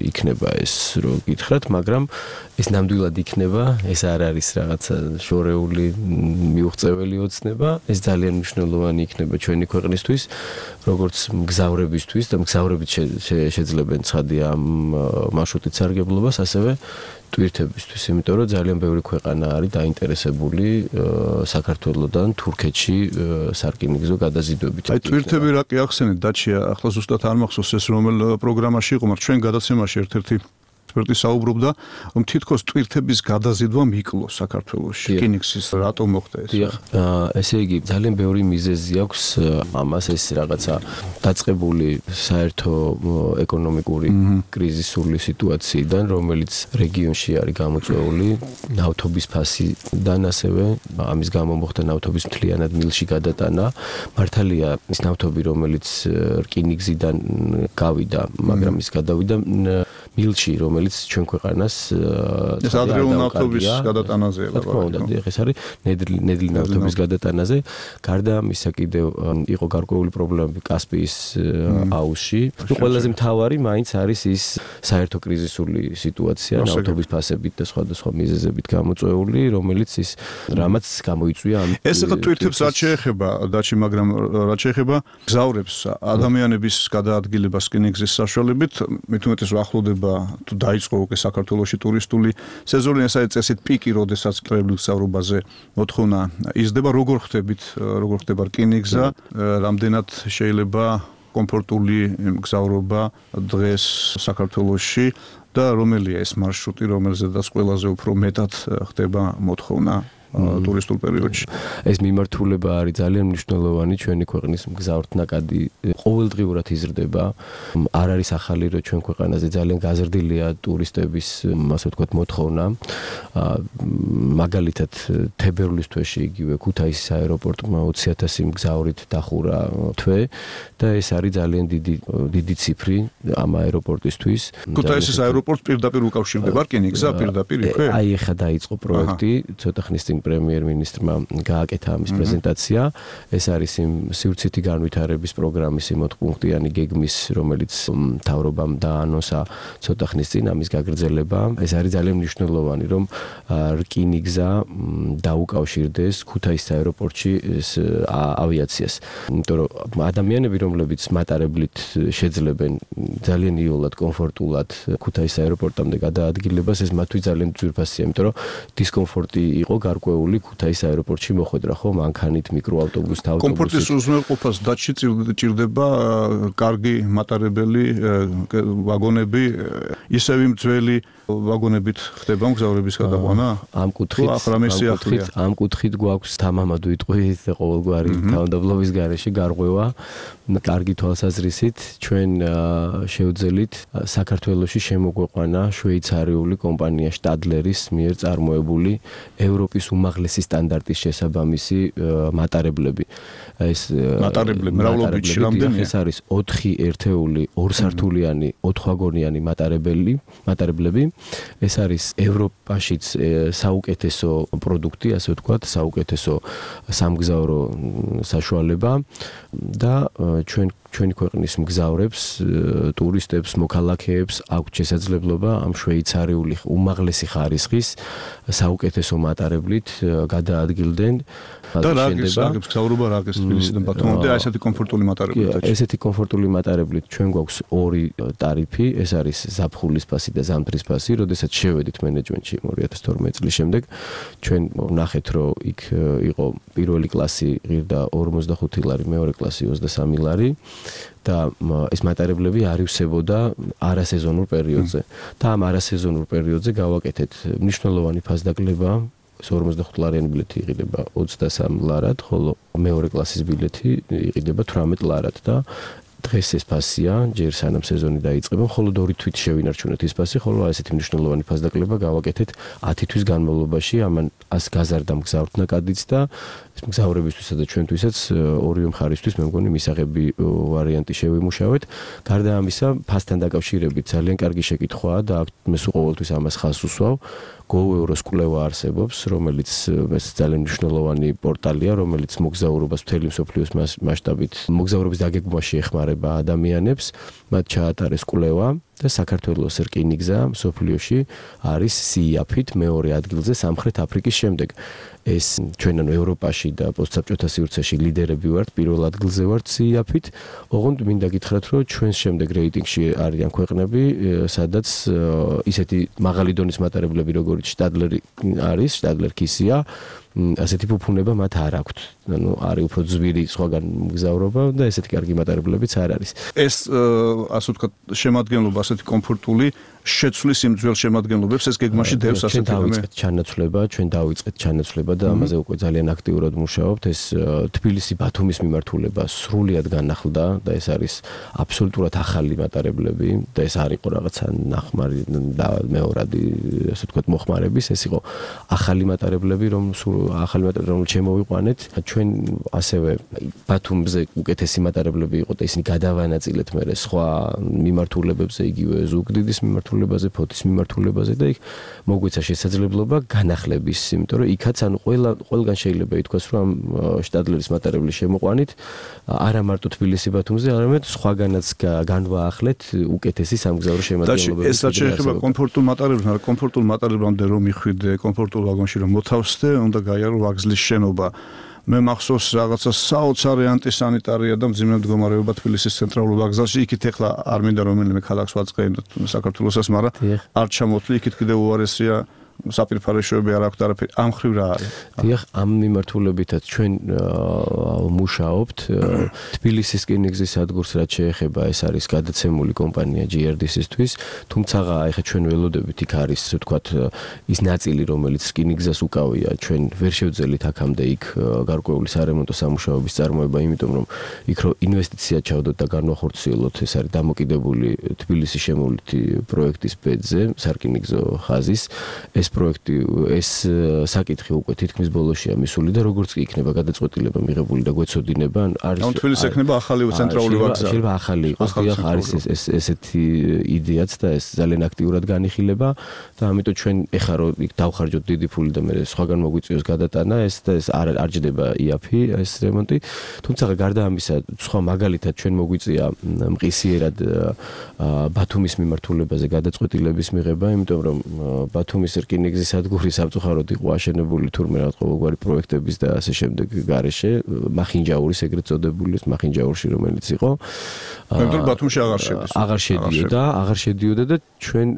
იქნება ეს რო გითხრათ, მაგრამ ეს ნამდვილად იქნება, ეს არ არის რაღაცა შორეული მიუღწეველი ოცნება, ეს ძალიან მნიშვნელოვანი იქნება ჩვენი ქვეყნისთვის, როგორც მგზავრებისთვის და მგზავრებით შეძლებენ ცხადია ამ მარშრუტით სარგებლობას, ასევე ტვირთებისთვის, იმიტომ რომ ძალიან ბევრი ქვეყანა არის დაინტერესებული საქართველოსთან თურქეთში სარკინიგზო გადაზიდვებით. აი ტვირთები რა კი ახსენეთ დაჩია, ახლა ზუსტად არ მახსოვს ეს რომელ პროგრამაში იყო, მაგრამ ჩვენ გადაცემაში ერთ-ერთი ექსპერტი საუბრობდა, რომ თითქოს ტვირთების გადაზიდვა მიკლო საქართველოში. რკინიგზის რატომ მოხდა ეს? ესე იგი, ძალიან ბევრი მიზეზი აქვს ამას, ეს რაღაცა დაწყებული საერთო ეკონომიკური კრიზისული სიტუაციიდან, რომელიც რეგიონში არის გამოწვეული ნავთობის ფასიდან, ასევე ამის გამო მოხდა ნავთობის მთლიანად მილში გადატანა. მართალია, ის ნავთობი, რომელიც რკინიგზიდან გავიდა, მაგრამ ის გადავიდა მილში, რომელიც ჩვენ ქვეყანას ეს ადრეულ ნავთობის გადატანაზეა. რა თქმა უნდა, ეს არის ნედლი ნავთობის გადატანაზე. გარდა ამისა კიდევ იყო გარკვეული პრობლემები კასპიის აუზში. ყველაზე მთავარი მაინც არის ის საერთო კრიზისული სიტუაცია ნავთობის ფასებით და სხვადასხვა მიზეზებით გამოწვეული, რომელიც ის რამაც გამოიწვია ამ ეს ახლა ტვირთებს რაც შეეხება დაჩი, მაგრამ რაც შეეხება გზავრებს ადამიანების გადაადგილებას რკინიგზის საშუალებით, მით უმეტეს ახლოვდება თუ დაიწყო უკვე საქართველოში ტურისტული სეზონი, ეს არის წესით პიკი, როდესაც კრებლის გზავრობაზე მოთხოვნა იზრდება. როგორ ხდება რკინიგზა, რამდენად შეიძლება კომფორტული გზავრობა დღეს საქართველოში და რომელია ეს მარშრუტი, რომელზედაც ყველაზე უფრო მეტად ხდება მოთხოვნა ტურისტულ პერიოდში. ეს მიმართულება არის ძალიან მნიშვნელოვანი ჩვენი ქვეყნის მგზავრთნაკადი ყოველდღიურად იზრდება. არ არის ახალი, რომ ჩვენ ქვეყანაზე ძალიან გაზრდილია ტურისტების, ასე ვთქვათ, მოთხოვნა. მაგალითად, თებერვლის თვეში იგივე ქუთაისის აეროპორტმა 20,000 მგზავრით დახურა თვე და ეს არის ძალიან დიდი ციფრი ამ აეროპორტისთვის. ქუთაისის აეროპორტს პირდაპირ უკავშირდება რკინიგზა პირდაპირ იქვე? აი ეხლა დაიწყო პროექტი, ცოტა ხნის წინ პრემიერ-მინისტრმა გააკეთა ამის პრეზენტაცია. ეს არის იმ სივრცითი განვითარების პროგრამის 8-პუნქტიანი გეგმის, რომელიც მთავრობამ დაანონსა ცოტა ხნის წინ ამის გაგრძელება. ეს არის ძალიან მნიშვნელოვანი, რომ რკინიგზა დაუკავშირდეს ქუთაისის აეროპორტში ავიაციას. იმიტომ რომ ადამიანები, რომლებიც მატარებლით შეძლებენ ძალიან იოლად, კომფორტულად ქუთაისის აეროპორტამდე გადაადგილებას, ეს მათთვის ძალიან ძვირფასია, იმიტომ რომ დისკომფორტი იყო გარკვეული ქუთაისის აეროპორტში მოხვედრა, ხო, მანქანით, მიკროავტობუსით, ავტობუსით. კომფორტის უზრუნველყოფას დაჩი ჭირდება კარგი მატარებელი ვაგონები, ისევ იმ ძველი ვაგონებით ხდება მგზავრების გადაყვანა? ამ კუთხით გვაქვს თამამად ვიტყვით ყოველგვარი თავდაბლობის გარეშე გარღვევა, კარგი თვალსაზრისით ჩვენ შევძელით საქართველოში შემოგვეყვანა შვეიცარიული კომპანია შტადლერის მიერ წარმოებული ევროპის უმაღლესი სტანდარტის შესაბამისი მატარებლები. ეს მატარებლები მრავლობითში რამდენია? ეს არის 4 ერთეული, 2 სართულიანი, 4 ვაგონიანი მატარებლები. ეს არის ევროპაშიც საუკეთესო პროდუქტი, ასე ვთქვათ, საუკეთესო სამგზავრო საშუალება და ჩვენი ქვეყნის მგზავრებს, ტურისტებს, მოქალაქეებს აქვს შესაძლებლობა ამ შვეიცარიული უმაღლესი ხარისხის საუკეთესო მატარებლით მუდმივობით გადაადგილდნენ. და რაგებს გზავრობა რაგებს თბილისიდან ბათუმამდე ესეთი კომფორტული მატარებლით. ესეთი კომფორტული მატარებლით ჩვენ გვაქვს ორი ტარიფი, ეს არის ზაფხულის ფასი და ზამთრის ფასი. როდესაც შევედით მენეჯმენტში 2012 წლის შემდეგ, ჩვენ ვნახეთ, რომ იქ იყო პირველი კლასი ღირდა 45 ლარი, მეორე კლასი 23 ლარი. და ეს მატარებლები არივსებოდა არასეზონურ პერიოდზე. და ამ არასეზონურ პერიოდზე გავაკეთეთ მნიშვნელოვანი ფასდაკლება. 45 ლარიანი ბილეთი იყიდება 23 ლარად, ხოლო მეორე კლასის ბილეთი იყიდება 18 ლარად და დღეს ეს ფასია, ჯერ სანამ სეზონი დაიწყება, ხოლო ორი თვით შევინარჩუნეთ ის ფასი, ხოლო ესეთი მნიშვნელოვანი ფასდაკლება გავაკეთეთ 10 თვის განმავლობაში, ამან ას გაზარდა მგზავრთნაკადიც და ეს მგზავრებისთვისა და ჩვენთვისაც ორივე მხარისთვის მე მგონი მისაღები ვარიანტი შევიმუშავეთ. გარდა ამისა, ფასთან დაკავშირებით ძალიან კარგი შეკითხვაა და მე სულ ყოველთვის ამას ხაზს უსვავ. Go Euros კვლევა არსებობს, რომელიც ეს ძალიან მნიშვნელოვანი პორტალია, რომელიც მოგზაურობას მთელი მსოფლიოს მასშტაბით მოგზაურობის დაგეგმვაში ეხმარება ადამიანებს. მათ ჩაატარეს კვლევა და საქართველოს რკინიგზა მსოფლიოში არის CIAP-ით მეორე ადგილზე სამხრეთ აფრიკის შემდეგ. ეს ჩვენ ანუ ევროპაში და პოსტსაბჭოთა სივრცეში ლიდერები ვართ, პირველ ადგილზე ვართ CIAP-ით. ოღონდ მინდა გითხრათ, რომ ჩვენს შემდეგ რეიტინგში არიან ქვეყნები, სადაც ისეთი მაღალი დონის მატარებლები, როგორც შტადლერი არის, შტადლერ კისია, ასეთი ფუფუნება მათ არ აქვთ. ანუ არის უფრო ძვირი სხვაგან მგზავრობა და ესეთი კარგი მატარებლებიც არ არის. ეს ასე ვთქვათ, შემადგენლობა ასეთი კომფორტული შეცვლის იმ ძველ შემადგენლობებს ეს გეგმაში დევს ასეთი ჩვენ დავიწყეთ ჩანაცვლება და ამაზე უკვე ძალიან აქტიურად მუშაობთ. ეს თბილისი-ბათუმის მიმართულება სრულიად განახლდა და ეს არის აბსოლუტურად ახალი მატარებლები და ეს არ იყო რაღაცა ნახმარი და მეორადი ასე ვთქვათ მოხმარების, ეს იყო ახალი მატარებლები, რომელიც შემოვიყვანეთ. ჩვენ ასევე ბათუმზე უკეთესი მატარებლები იყო და ისინი გადავანაწილეთ მე სხვა მიმართულებებზე, იგივე ზუგდიდის მიმართულებაზე, ფოთის მიმართულებაზე და იქ მოგვეცა შესაძლებლობა განახლების, იმიტომ რომ იქაც ანუ ყველგან შეიძლება ითქვას, რომ ამ შტადლერის მატარებლის შემოყვანით არა მარტო თბილისი-ბათუმზე, არამედ სხვაგანაც განვაახლეთ უკეთესი სამგზავრო შემადგენლობები. ეს რაც შეეხება კომფორტულ მატარებლებს, მაგრამ კომფორტულ მატარებლამდე რომ მიხვიდე, კომფორტულ ვაგონში რომ მოთავსდე, უნდა გაიარო ვაგზლის შენობა. მე მახსოვს რაღაცა საოცარი ანტისანიტარია და მძიმე მდგომარეობა თბილისის ცენტრალურ ვაგზალში. იქით ეხლა არ მინდა რომელიმე ქალაქს ვაწყენოთ საქართველოსაც, მაგრამ არ ჩამოთვლი, იქით კიდევ უარესია საპირფარეშოები არ აქვს არაფერი. ამ ხრივ რა არის? დიახ, ამ მიმართულებითაც ჩვენ მუშაობთ. თბილისის რკინიგზის სადგურს რაც შეეხება, ეს არის გადაცემული კომპანია GRDC-ისთვის, თუმცა ეხლა ჩვენ ველოდებით იქ არის, ასე ვთქვათ, ის ნაწილი, რომელიც რკინიგზას უკავია, ჩვენ ვერ შევძელით აქამდე იქ გარკვეული სარემონტო სამუშაოების წარმოება, იმიტომ რომ იქ რო ინვესტიცია ჩავდოთ და განვახორციელოთ, ეს არის დამოკიდებული თბილისის შემოვლითი პროექტის ბედზე, სარკინიგზო ხაზის. ეს პროექტი, ეს საკითხი უკვე თითქმის ბოლოშია მისული და როგორც კი იქნება გადაწყვეტილება მიღებული და გვეცოდინება, არის ანუ თბილისს ექნება ახალი ცენტრალური ვაგზალი. შეიძლება ახალი იყოს, დიახ, არის ესეთი იდეაც და ეს ძალიან აქტიურად განიხილება და ამიტომ ჩვენ ეხლა რომ იქ დავხარჯოთ დიდი ფული და მე სხვაგან მოგვიწვიოს გადატანა, ეს არ ჯდება IAP ეს რემონტი. თუმცა გარდა ამისა, სხვა მაგალითად ჩვენ მოგვიწია მყისიერად ბათუმის მიმართულებაზე გადაწყვეტილების მიღება, იმიტომ რომ ბათუმის რკინიგზის სადგური სამწუხაროდ იყო აშენებული თურმე რაღაც ყოველგვარი პროექტების და ასე შემდეგ გარეშე, მახინჯაურის ეგრეთ წოდებული მახინჯაურში რომელიც იყო. მაგრამ ბათუმში აღარ შედიოდა და ჩვენ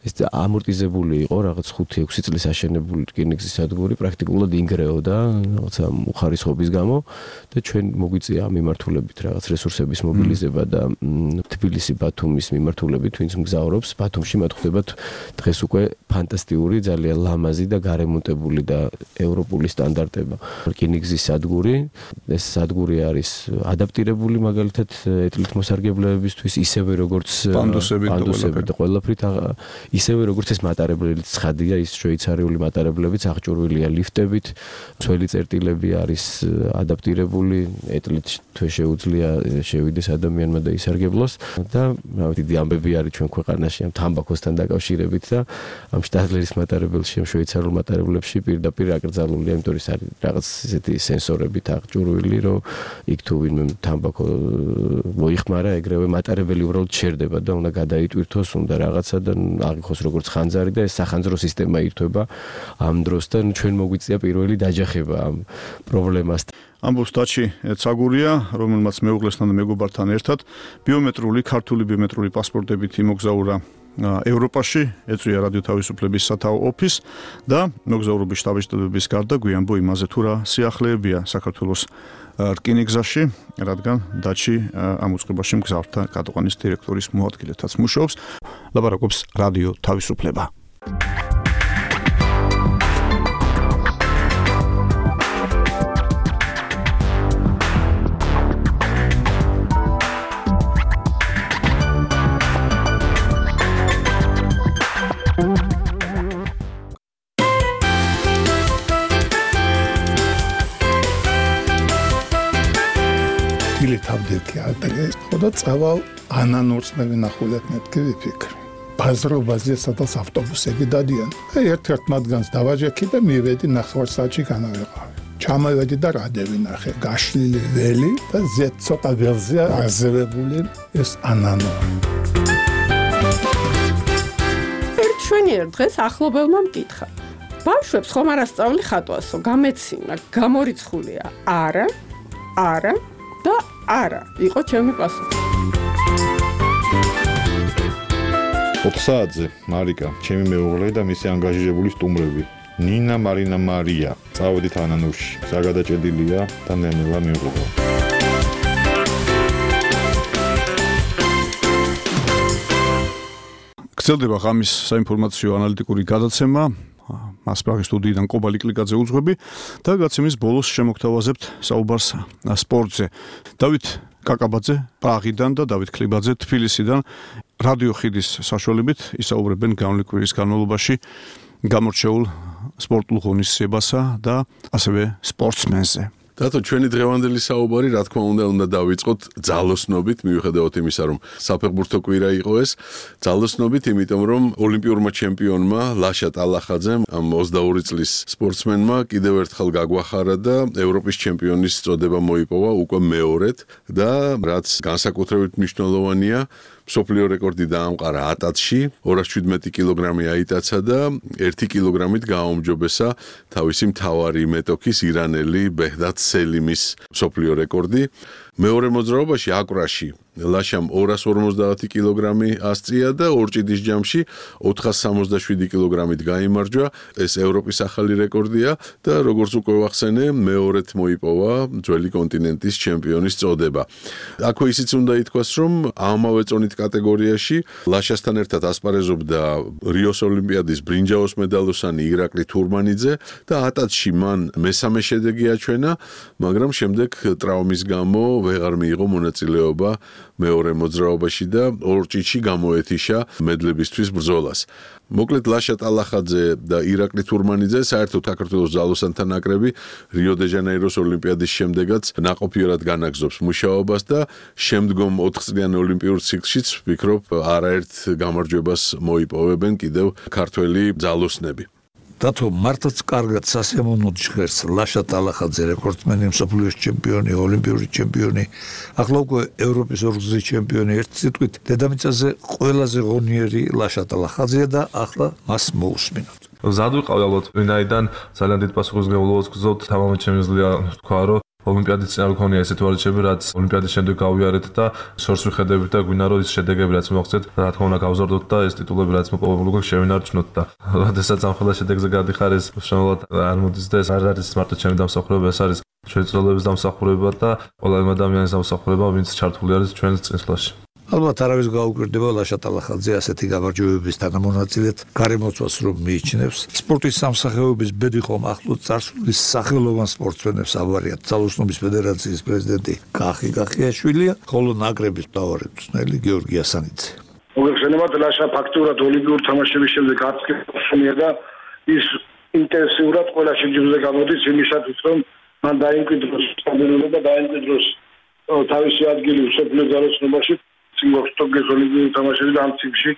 ეს ამორტიზებული იყო რაღაც 5-6 წლის აშენებული რკინიგზის სადგური პრაქტიკულად ინგრეოდა რაღაცა უხარისხობის გამო და ჩვენ მოგვიწია ამ მიმართულებით რაღაც რესურსების მობილიზება და თბილისი-ბათუმის მიმართულებით ვინც მგზავრობს ბათუმში მათ ხდებათ დღეს უკვე ფანტასტიკური, ძალიან ლამაზი და გარემონტებული და ევროპული სტანდარტება. რკინიგზის სადგური, ეს სადგური არის ადაპტირებული მაგალითად ეტლით მოსარგებლეებისთვის, ისევე როგორც პანდუსები და ყველაფრით, ისევე როგორც ეს მატარებლებიც ცხადია, ის შვეიცარიული მატარებლებიც აღჭურვილია ლიფტებით, ძველი წერტილები არის ადაპტირებული, ეტლით თვე შეუძლია შევიდეს ადამიანმა და ისარგებლოს და დიდი ამბები არის ჩვენ ქვეყანაში ამ თამბაქოსთან დაკავშირებით და ამ შტადლერის მატარებელში, შვეიცარიულ მატარებლებში პირდაპირ აკრძალულია, იმიტომ ის არის რაღაც ისეთი სენსორებით აღჭურვილი, რომ იქ თუ ვინმე თამბაქო მოიხმარა, ეგრევე მატარებელი უბრალოდ ჩერდება და უნდა გადაიტვირთოს, უნდა რაღაცა და აღიქოს როგორც ხანძარი და ეს სახანძრო სისტემა ირთვება ამ დროს და ჩვენ მოგვიწია პირველი დაჯახება ამ პრობლემას. ამბობს დაჩი ცაგურია, რომელმაც მეუღლესთან და მეგობართან ერთად ქართული ბიომეტრიული პასპორტებით იმოგზაურა ევროპაში, ეწვია რადიო თავისუფლების სათაო ოფისს და მოგზაურობის შტაბ-ჟიდების გარდა გვიანბო იმაზე თუ რა სიახლეებია საქართველოს რკინიგზაში, რადგან დაჩი ამ უწყებაში მგზავრთა გადაყვანის დირექტორის მოადგილეთაც მუშაობს. ლაპარაკობს რადიო თავისუფლება. თავდექი ადრე ხოდა წავალ ანანურსნები ნახულეთ მეთქი ვიფიქრე ბაზრობაზე სადაც ავტობუსები დადიან ერთ-ერთ მათგანს დავაჯექი და მივედი ნახევარსაათში განავეყავი ჩამოვედი და რადევი ნახე გაშლილი ველი და ზედ ცოტა ველზე აზევებული ეს ანანური ერთ შვენიერ დღეს ახლობელმა მკითხა ბავშვებს ხომ არ ასწავლი ხატვასო გამეცინა გამორიცხულია არა და არა, იყო ჩემი პასუხი. ოთხსაათზე მარიკა, ჩემი მეუღლე და მისი ანგაჟირებული სტუმრები. ნინა, მარინა, მარია. წავედით ანანურში. საგადაჭედილია და ნელა მივიღო. გრძელდება ღამის საინფორმაციო ანალიტიკური გადაცემა. მასპრაღის სტუდიიდან კობალი კლიკაძე უძღვები და გაცემის ბოლოს შემოგთავაზებთ საუბარს სპორტზე. დავით კაკაბაძე პრაღიდან და დავით ქლიბაძე თბილისიდან რადიო ხიდის საშუალებით ისაუბრებენ განვლილი კვირის განმავლობაში გამორჩეულ სპორტულ ღონისძიებასა და ასევე სპორტსმენზე. დათო, ჩვენი დღევანდელი საუბარი, რა თქმა უნდა დავიწყოთ ძალოსნობით, მიუხედავად იმისა, რომ საფეხბურთო კვირა იყო ეს, ძალოსნობით, იმიტომ რომ ოლიმპიურმა ჩემპიონმა ლაშა ტალახაძემ, ამ 22 წლის სპორტსმენმა კიდევ ერთხელ გაგვახარა და ევროპის ჩემპიონის წოდება მოიპოვა უკვე მეორედ და რაც განსაკუთრებით მნიშვნელოვანია, მსოფლიო რეკორდი დაამყარა ატაცში, 217 კილოგრამი აიტაცა და 1 კილოგრამით გააუმჯობესა თავისი მთავარი მეტოქის ირანელი ბეჰდად სელიმის მსოფლიო რეკორდი. მეორე მოძრაობაში აკვრაში ლაშამ 250 კილოგრამი ასწია და ორჭიდის ჯამში 467 კილოგრამით გაიმარჯვა. ეს ევროპის ახალი რეკორდია და როგორც უკვე ვახსენე, მეორედ მოიპოვა ძველი კონტინენტის ჩემპიონის წოდება. აქვე ისიც უნდა ითქვას, რომ ამავე წონით კატეგორიაში ლაშასთან ერთად ასპარეზობდა რიოს ოლიმპიადის ბრინჯაოს მედალოსანი ირაკლი თურმანიძე და ატაცში მან მესამე შედეგი აჩვენა, მაგრამ შემდეგ ტრავმის გამო ვეღარ მიიღო მონაწილეობა მეორე მოძრაობაში და ორჭიდში გამოეთიშა მედლებისთვის ბრძოლას. მოკლედ ლაშა ტალახაძე და ირაკლი თურმანიძე საერთოდ საქართველოს ძალოსანთა ნაკრები რიო-დე-ჟანეიროს ოლიმპიადის შემდეგაც ნაყოფიერად განაგზობს მუშაობას და შემდგომ 4 წლიან ოლიმპიურ ციკლშიც ვფიქრობ არაერთ გამარჯვებას მოიპოვებენ კიდევ ქართველი ძალოსნები. დათო მართლაც კარგად სასიამოვნოდ ჟღერს ლაშა ტალახაძე რეკორდსმენი, მსოფლიოს ჩემპიონი, ოლიმპიური ჩემპიონი, ახლა უკვე ევროპის ორგზის ჩემპიონი, ერთ სიტყვით დედამიწაზე ყველაზე ღონიერი ლაშა ტალახაძეა და ახლა მას მოусმინოთ. მზად ვიყავ ალბათ, ვინაიდან ძალიან დიდ პასუხისმგებლობას გზავთ, თამამად შემიძლია თქვა, რომ ოლიმპიადის წინა მქონია ესეთი თვალჩები, რაც ოლიმპიადის შემდეგ გავიარეთ და შორს ვიხედებით და გვინდა რომ ის შედეგები რაც მოაღწევთ, რა თქმა უნდა გავზარდოთ და ეს ტიტულები რაც მოპოვებული გვაქვს შევინარჩუნოთ და როდესაც ამ ხელა შედეგზე გადიხარ ეს შემოვლად არ მოდის და ეს არ არის მარტო ჩემი დამსახურება, ეს არის ჩვენი წლების დამსახურება და ყველა იმ ადამიანის დამსახურება, ვინც ჩართული არის ჩვენს წინსვლაში. ალბათ არავის გაუკვირდება ლაშა ტალახაძე ასეთი გამარჯვებების თანამონაწილედ გარემოცვას რომ მიიჩნევს. სპორტის სამსახიობების ბედი ხომ ახლო წარსულის სახელოვან სპორტსმენებს ავარიათ. ძალოსნობის ფედერაციის პრეზიდენტი კახი კახიაშვილია, ხოლო ნაკრების მთავარი მწვრთნელი გიორგი ასანიძე. მოგეხსენებათ ლაშა ფაქტურად ოლიმპიურ თამაშების შემდეგ არც კი ხსნია და ის ინტენსიურად ყველა შეჯიბრზე გამოდის იმისათვის რომ მან დაიმკვიდროს სტაბილურობა, დაიმკვიდროს თავისი ადგილი მსოფლიო ძალოსნობაში. Ტოკიოს ოლიმპიური თამაშები და ამ ციკლში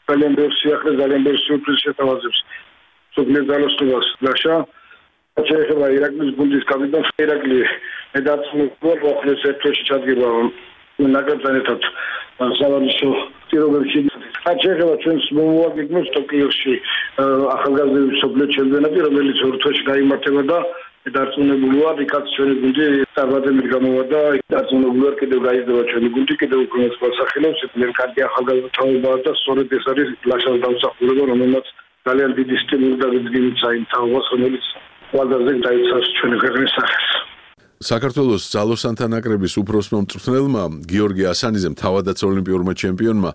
ძალიან ბევრ სიახლეს, ძალიან ბევრ სიურპრიზს შეთავაზებს. ზოგიერთ ძალოსნობას ლაშა შეიძლება ირაკლის გუნდის კაპიტანს ირაკლი მედაწმუნებულ მოხდეს ერთში ჩადგება ნაკრებთან ერთად სავარჯიშო პირობებში შეიძლება ჩვენს მომავალი ტოკიოში ახალგაზრდების მსოფლიო ჩემპიონატი რომელიც ორ თვეში გაიმართება და დარწმუნებული ვარ იქაც ჩვენი გუნდი წარმატებით გამოვიდა დარწმუნებული ვარ კიდევ გაიზრდება ჩვენი გუნდი კიდევ უფრო მოსახელებს მე კარგი ახალგაზრდობაა და სწორედ ეს არის ლაშას დამსახურება რომელმაც ძალიან დიდი სტიმული და ვიდგინით საინტერესოს რომელიც ყველაზე დაიცავს ჩვენი ქვეყნის სახეს საქართველოს ძალოსანთა ნაკრების უფროსმა მწვრთნელმა გიორგი ასანიძემ თავადაც ოლიმპიურმა ჩემპიონმა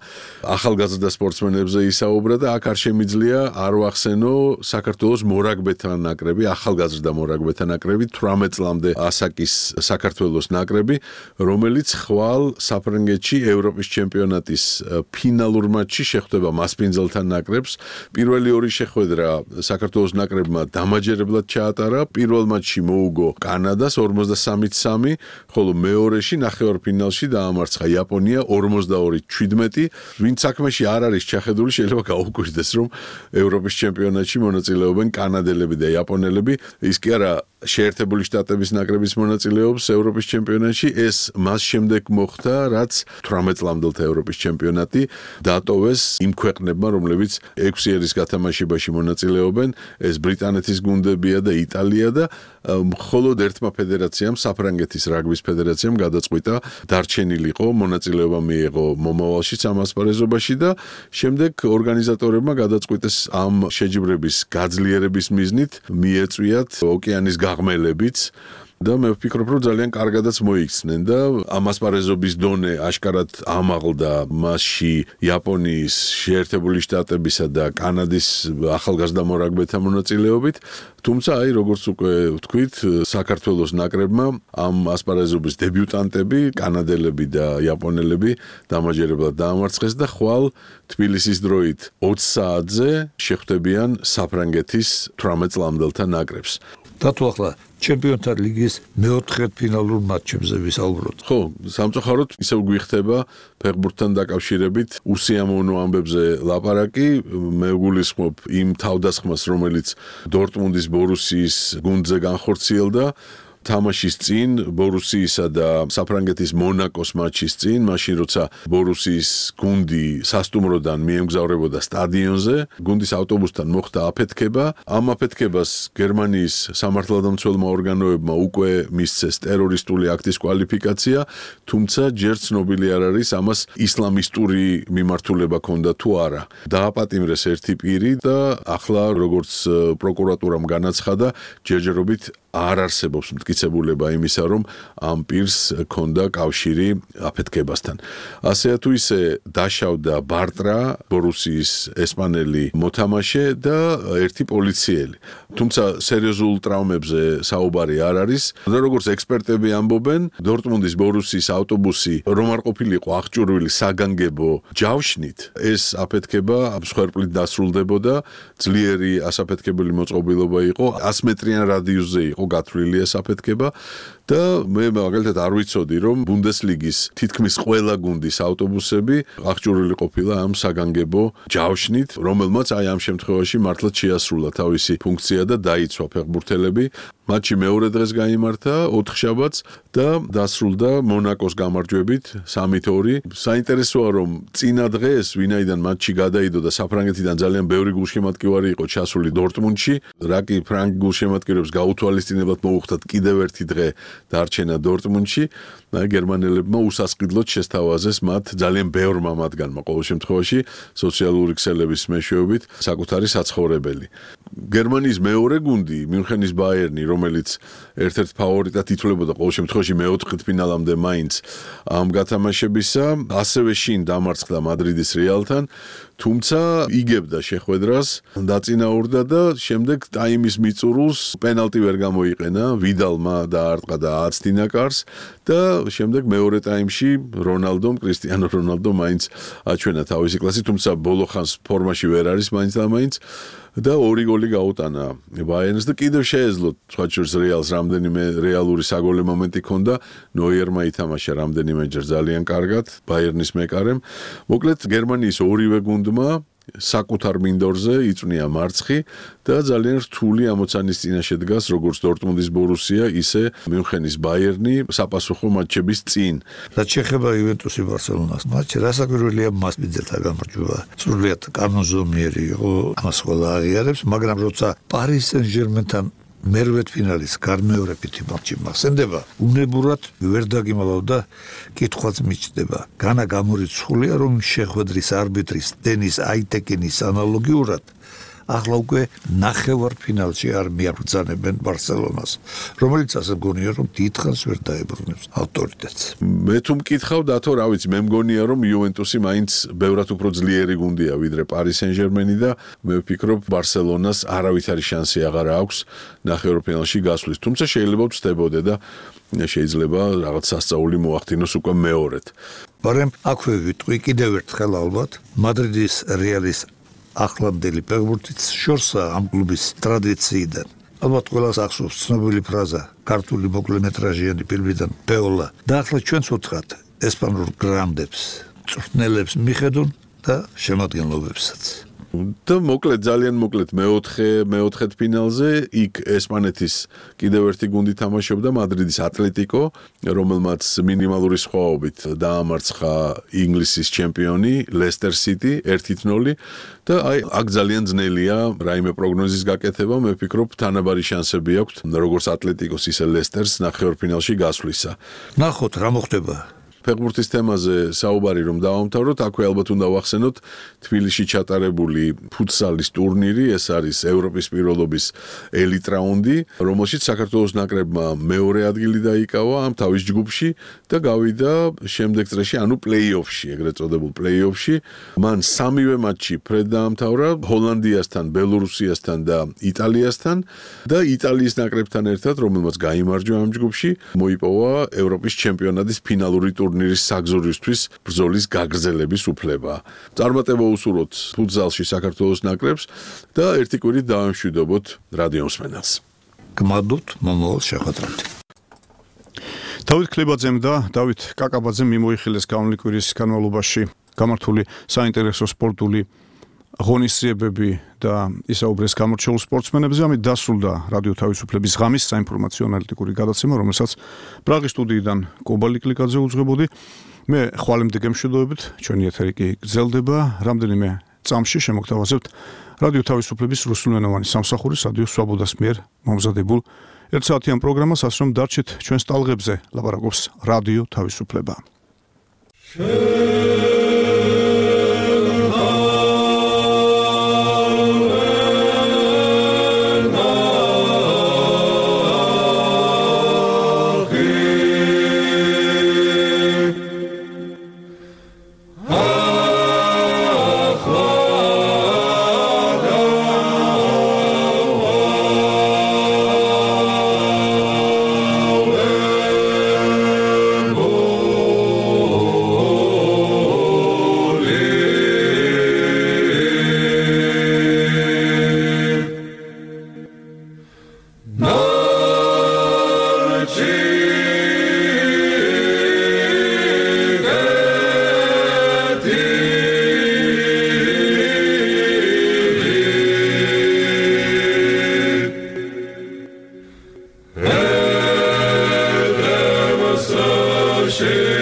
ახალგაზრდა სპორტსმენებზე ისაუბრა და აქ არ შემიძლია არ ვახსენო საქართველოს მორაგბეთა ნაკრები, ახალგაზრდა მორაგბეთა ნაკრები 18 წლამდე ასაკის საქართველოს ნაკრები, რომელიც ხვალ საფრანგეთში ევროპის ჩემპიონატის ფინალურ მატჩში შეხვდება მასპინძელთა ნაკრებს. პირველი ორი შეხვედრა საქართველოს ნაკრებმა დამაჯერებლად ჩაატარა. პირველ მატჩში მოუგო კანადას 53-3, ხოლო მეორეში ნახევარფინალში დაამარცხა იაპონია 42-17. ვინც საქმეში არ არის ჩახედული, შეიძლება გაუკვირდეს, რომ ევროპის ჩემპიონატში მონაწილეობენ კანადელები და იაპონელები. ის კი არა შეერთებული შტატების ნაკრების მონაწილეობს ევროპის ჩემპიონატში, ეს მას შემდეგ მოხდა, რაც 18 წლამდელთა ევროპის ჩემპიონატი დატოვეს იმ ქვეყნებმა, რომლებიც 6 ერის გათამაშებაში მონაწილეობენ. ეს ბრიტანეთის გუნდებია და იტალია და მხოლოდ ერთმა ფედერაციამ, საფრანგეთის რაგბის ფედერაციამ გადაწყვიტა დარჩენილიყო, მონაწილეობა მიიღო მომავალშიც ამ ასპარეზობაში და შემდეგ ორგანიზატორებმა გადაწყვიტეს ამ შეჯიბრების გაძლიერების მიზნით მიეწვიათ ოკეანის ღმელებიც და მე ვფიქრობ, რომ ძალიან კარგადაც მოიქცნენ და ამ ასპარეზობის დონე აშკარად ამაღლდა მასში იაპონიის, შეერთებული შტატებისა და კანადის ახალგაზრდა მორაგბეთა მონაწილეობით. თუმცა აი როგორც უკვე ვთქვით, საქართველოს ნაკრებმა ამ ასპარეზობის დებიუტანტები, კანადელები და იაპონელები დამაჯერებლად დაამარცხეს და ხვალ თბილისის დროით 20 საათზე შეხვდებიან საფრანგეთის 18 წლამდელთა ნაკრებს. დათო ახლა ჩემპიონთა ლიგის მეოთხედფინალურ მატჩებზე ვისაუბროთ. ხო, სამწუხაროდ ისევ გვიხდება ფეხბურთთან დაკავშირებით უსიამოვნო ამბებზე ლაპარაკი. მე გულისხმობ იმ თავდასხმას, რომელიც დორტმუნდის ბორუსიის გუნდზე განხორციელდა. თამაშის წინ ბორუსიისა და საფრანგეთის მონაკოს მატჩის წინ, მაშინ როცა ბორუსიის გუნდი სასტუმროდან მიემგზავრებოდა სტადიონზე, გუნდის ავტობუსთან მოხდა აფეთქება. ამ აფეთქებას გერმანიის სამართალდამცველმა ორგანოებმა უკვე მისცეს ტერორისტული აქტის კვალიფიკაცია, თუმცა ჯერ ცნობილი არ არის ამას ისლამისტური მიმართულება ჰქონდა თუ არა. დააპატიმრეს ერთი პირი და ახლა როგორც პროკურატურამ განაცხადა, ჯერჯერობით არ არსებობს მტკიცებულება იმისა, რომ ამ პირს ჰქონდა კავშირი აფეთქებასთან. ასე თუ ისე დაშავდა ბარტრა, ბორუსიის ესპანელი მოთამაშე და ერთი პოლიციელი. თუმცა სერიოზულ ტრავმებზე საუბარი არ არის და როგორც ექსპერტები ამბობენ, დორტმუნდის ბორუსიის ავტობუსი რომ არ ყოფილიყო აღჭურვილი საგანგებო ჯავშნით, ეს აფეთქება მსხვერპლით დასრულდებოდა, ძლიერი ასაფეთქებელი მოწყობილობა იყო, 100 მეტრიან რადიუსზე იყო გათვლილი ეს აფეთქება და მე მაგალითად არ ვიცოდი, რომ ბუნდესლიგის თითქმის ყველა გუნდის ავტობუსები აღჭურვილი ყოფილა ამ საგანგებო ჯავშნით, რომელმაც აი ამ შემთხვევაში მართლაც შეასრულა თავისი ფუნქცია და დაიცვა ფეხბურთელები. მატჩი მეორე დღეს გაიმართა 4 შაბათს და დასრულდა მონაკოს გამარჯვებით 3-2. საინტერესოა, რომ წინა დღეს ვინაიდან მატჩი გადაიდო და საფრანგეთიდან ძალიან ბევრი გულშემატკივარი იყო ჩასული დორტმუნდში, რა კი ფრანგ გულშემატკივრებს გაუთვალისწინებლად მოუხდათ კიდევ ერთი დღე დარჩენა დორტმუნდში. გერმანელებმა უსასყიდლოდ შესთავაზეს მათ ძალიან ბევრმა მათგანმა ყოველ შემთხვევაში სოციალური ქსელების მეშვეობით საკუთარი საცხოვრებელი. გერმანიის მეორე გუნდი, მიუნხენის ბაიერნი, რომელიც ერთ-ერთ ფავორიტად ითვლებოდა ყოველ შემთხვევაში მეოთხედფინალამდე მაინც ამ გათამაშებისა, ასევე შინ დამარცხდა მადრიდის რეალთან, თუმცა იგებდა შეხვედრას, დაწინაურდა და შემდეგ ტაიმის მიწურულს პენალტი ვერ გამოიყენა, ვიდალმა დაარტყა და აცდინა კარს და შემდეგ მეორე ტაიმში კრისტიანო რონალდო მაინც აჩვენა თავისი კლასი, თუმცა ბოლო ხანს ფორმაში ვერ არის მაინც და მაინც და 2 გოლი გაუტანა ბაიერნს და კიდევ შეეძლო სხვაჩურს რეალს რამდენიმე რეალური საგოლე მომენტი ჰქონდა, ნოიერმა ითამაშა რამდენიმეჯერ ძალიან კარგად ბაიერნის მეკარემ. მოკლედ გერმანიის ორივე გუნდმა საკუთარ მინდორზე იწვნია მარცხი და ძალიან რთული ამოცანის წინაშე დგას როგორც დორტმუნდის ბორუსია, ისე მიუნხენის ბაიერნი საპასუხო მატჩების წინ. რაც შეეხება იუვენტუსი ბარსელონას მატჩი, რასაკვირველია მას მიზელთა გამარჯვება. სრულიად კანონზომიერი იყო, ამას ყველა აღიარებს, მაგრამ როცა პარი სენ-ჟერმენთან მერვეთ ფინალის გარმეორებითი მატჩი მახსენდება, უნებურად ვერ დაგიმალავდა, კითხვაც მიჩნდება. განა გამორიცხულია, რომ შეხვედრის არბიტრის დენის აიტეკინის ანალოგიურად ახლა უკვე ნახევარ ფინალში არ მიაბრძანებენ ბარსელონას, რომელიც ასე მგონია, რომ დიდხანს ვერ დაებრუნებს ავტორიტეტს. მე თუ მკითხავ დათო, რა ვიცი, მე მგონია, რომ იუვენტუსი მაინც ბევრად უფრო ძლიერი გუნდია ვიდრე პარი სენ-ჟერმენი და მე ვფიქრობ ბარსელონას არავითარი შანსი აღარ აქვს ნახევარფინალში გასვლის. თუმცა შეიძლება ვწდებოდე და შეიძლება რაღაც სასწაული მოახდინოს უკვე მეორედ. მაგრამ აქვე ვიტყვი კიდევ ერთხელ ალბათ მადრიდის რეალის ახლანდელი ფეხბურთის შორსა ამ კლუბის ტრადიციიდან. ალბათ ყველას ახსოვს ცნობილი ფრაზა ქართული მოკლემეტრაჟიანი ფილმიდან პეოლა და ახლა ჩვენც ვუთხრათ ესპანურ გრანდებს, წვრთნელებს მიხედონ და შემადგენლობებსაც. და მოკლედ ძალიან მოკლედ მეოთხედ ფინალზე იქ ესპანეთის კიდევ ერთი გუნდი თამაშობდა მადრიდის ატლეტიკო, რომელმაც მინიმალური სხვაობით დაამარცხა ინგლისის ჩემპიონი ლესტერ სიტი 1-0 და აქ ძალიან ძნელია რაიმე პროგნოზის გაკეთება, მე ვფიქრობ თანაბარი შანსები აქვს როგორც ატლეტიკოს ისე ლესტერს ნახევარფინალში გასვლისა. ნახოთ რა მოხდება. ფეხბურთის თემაზე საუბარი რომ დავამთავროთ, აქვე ალბათ უნდა ვახსენოთ თბილისში ჩატარებული ფუტსალის ტურნირი, ეს არის ევროპის პირველობის ელიტ რაუნდი, რომელშიც საქართველოს ნაკრებმა მეორე ადგილი დაიკავა ამ თავის ჯგუფში და გავიდა შემდეგ წრეში, ანუ პლეი-ოფში, ეგრეთ წოდებულ პლეი-ოფში. მან სამივე მატჩი ფრედ დაამთავრა ჰოლანდიასთან, ბელორუსიასთან და იტალიასთან და იტალიის ნაკრებთან ერთად, რომელმაც გაიმარჯვა ამ ჯგუფში, მოიპოვა ევროპის ჩემპიონატის ფინალური ტურნირის საგზურისთვის ბრძოლის გაგრძელების უფლება. წარმატება უსურვოთ ფუტზალში საქართველოს ნაკრებს და ერთი კვირით დავამშვიდობოთ რადიო მსმენელს. გმადლობთ მომავალ შეხვედრამდე. დავით ქლებაძემ და დავით კაკაბაძემ მიმოიხილეს გამონლი კვირის განმავლობაში გამართული საინტერესო სპორტული ღონისძიებები და ისაუბრეს გამორჩეულ სპორტსმენებზე. ამით დასრულდა რადიო თავისუფლების ღამის საინფორმაციო ანალიტიკური გადაცემა, რომელსაც პრაღის სტუდიიდან კობალი კლიკაძე უძღვებოდი. მე ხვალემდე გემშვიდობებით, ჩვენი ეთერი კი გრძელდება. რამდენიმე წამში შემოგთავაზებთ რადიო თავისუფლების რუსულენოვანი სამსახურის რადიო სვაბოდას მიერ მომზადებულ ერთსაათიან პროგრამას, ასე რომ დარჩით ჩვენს ტალღებზე, ლაპარაკობს რადიო თავისუფლება. Shame.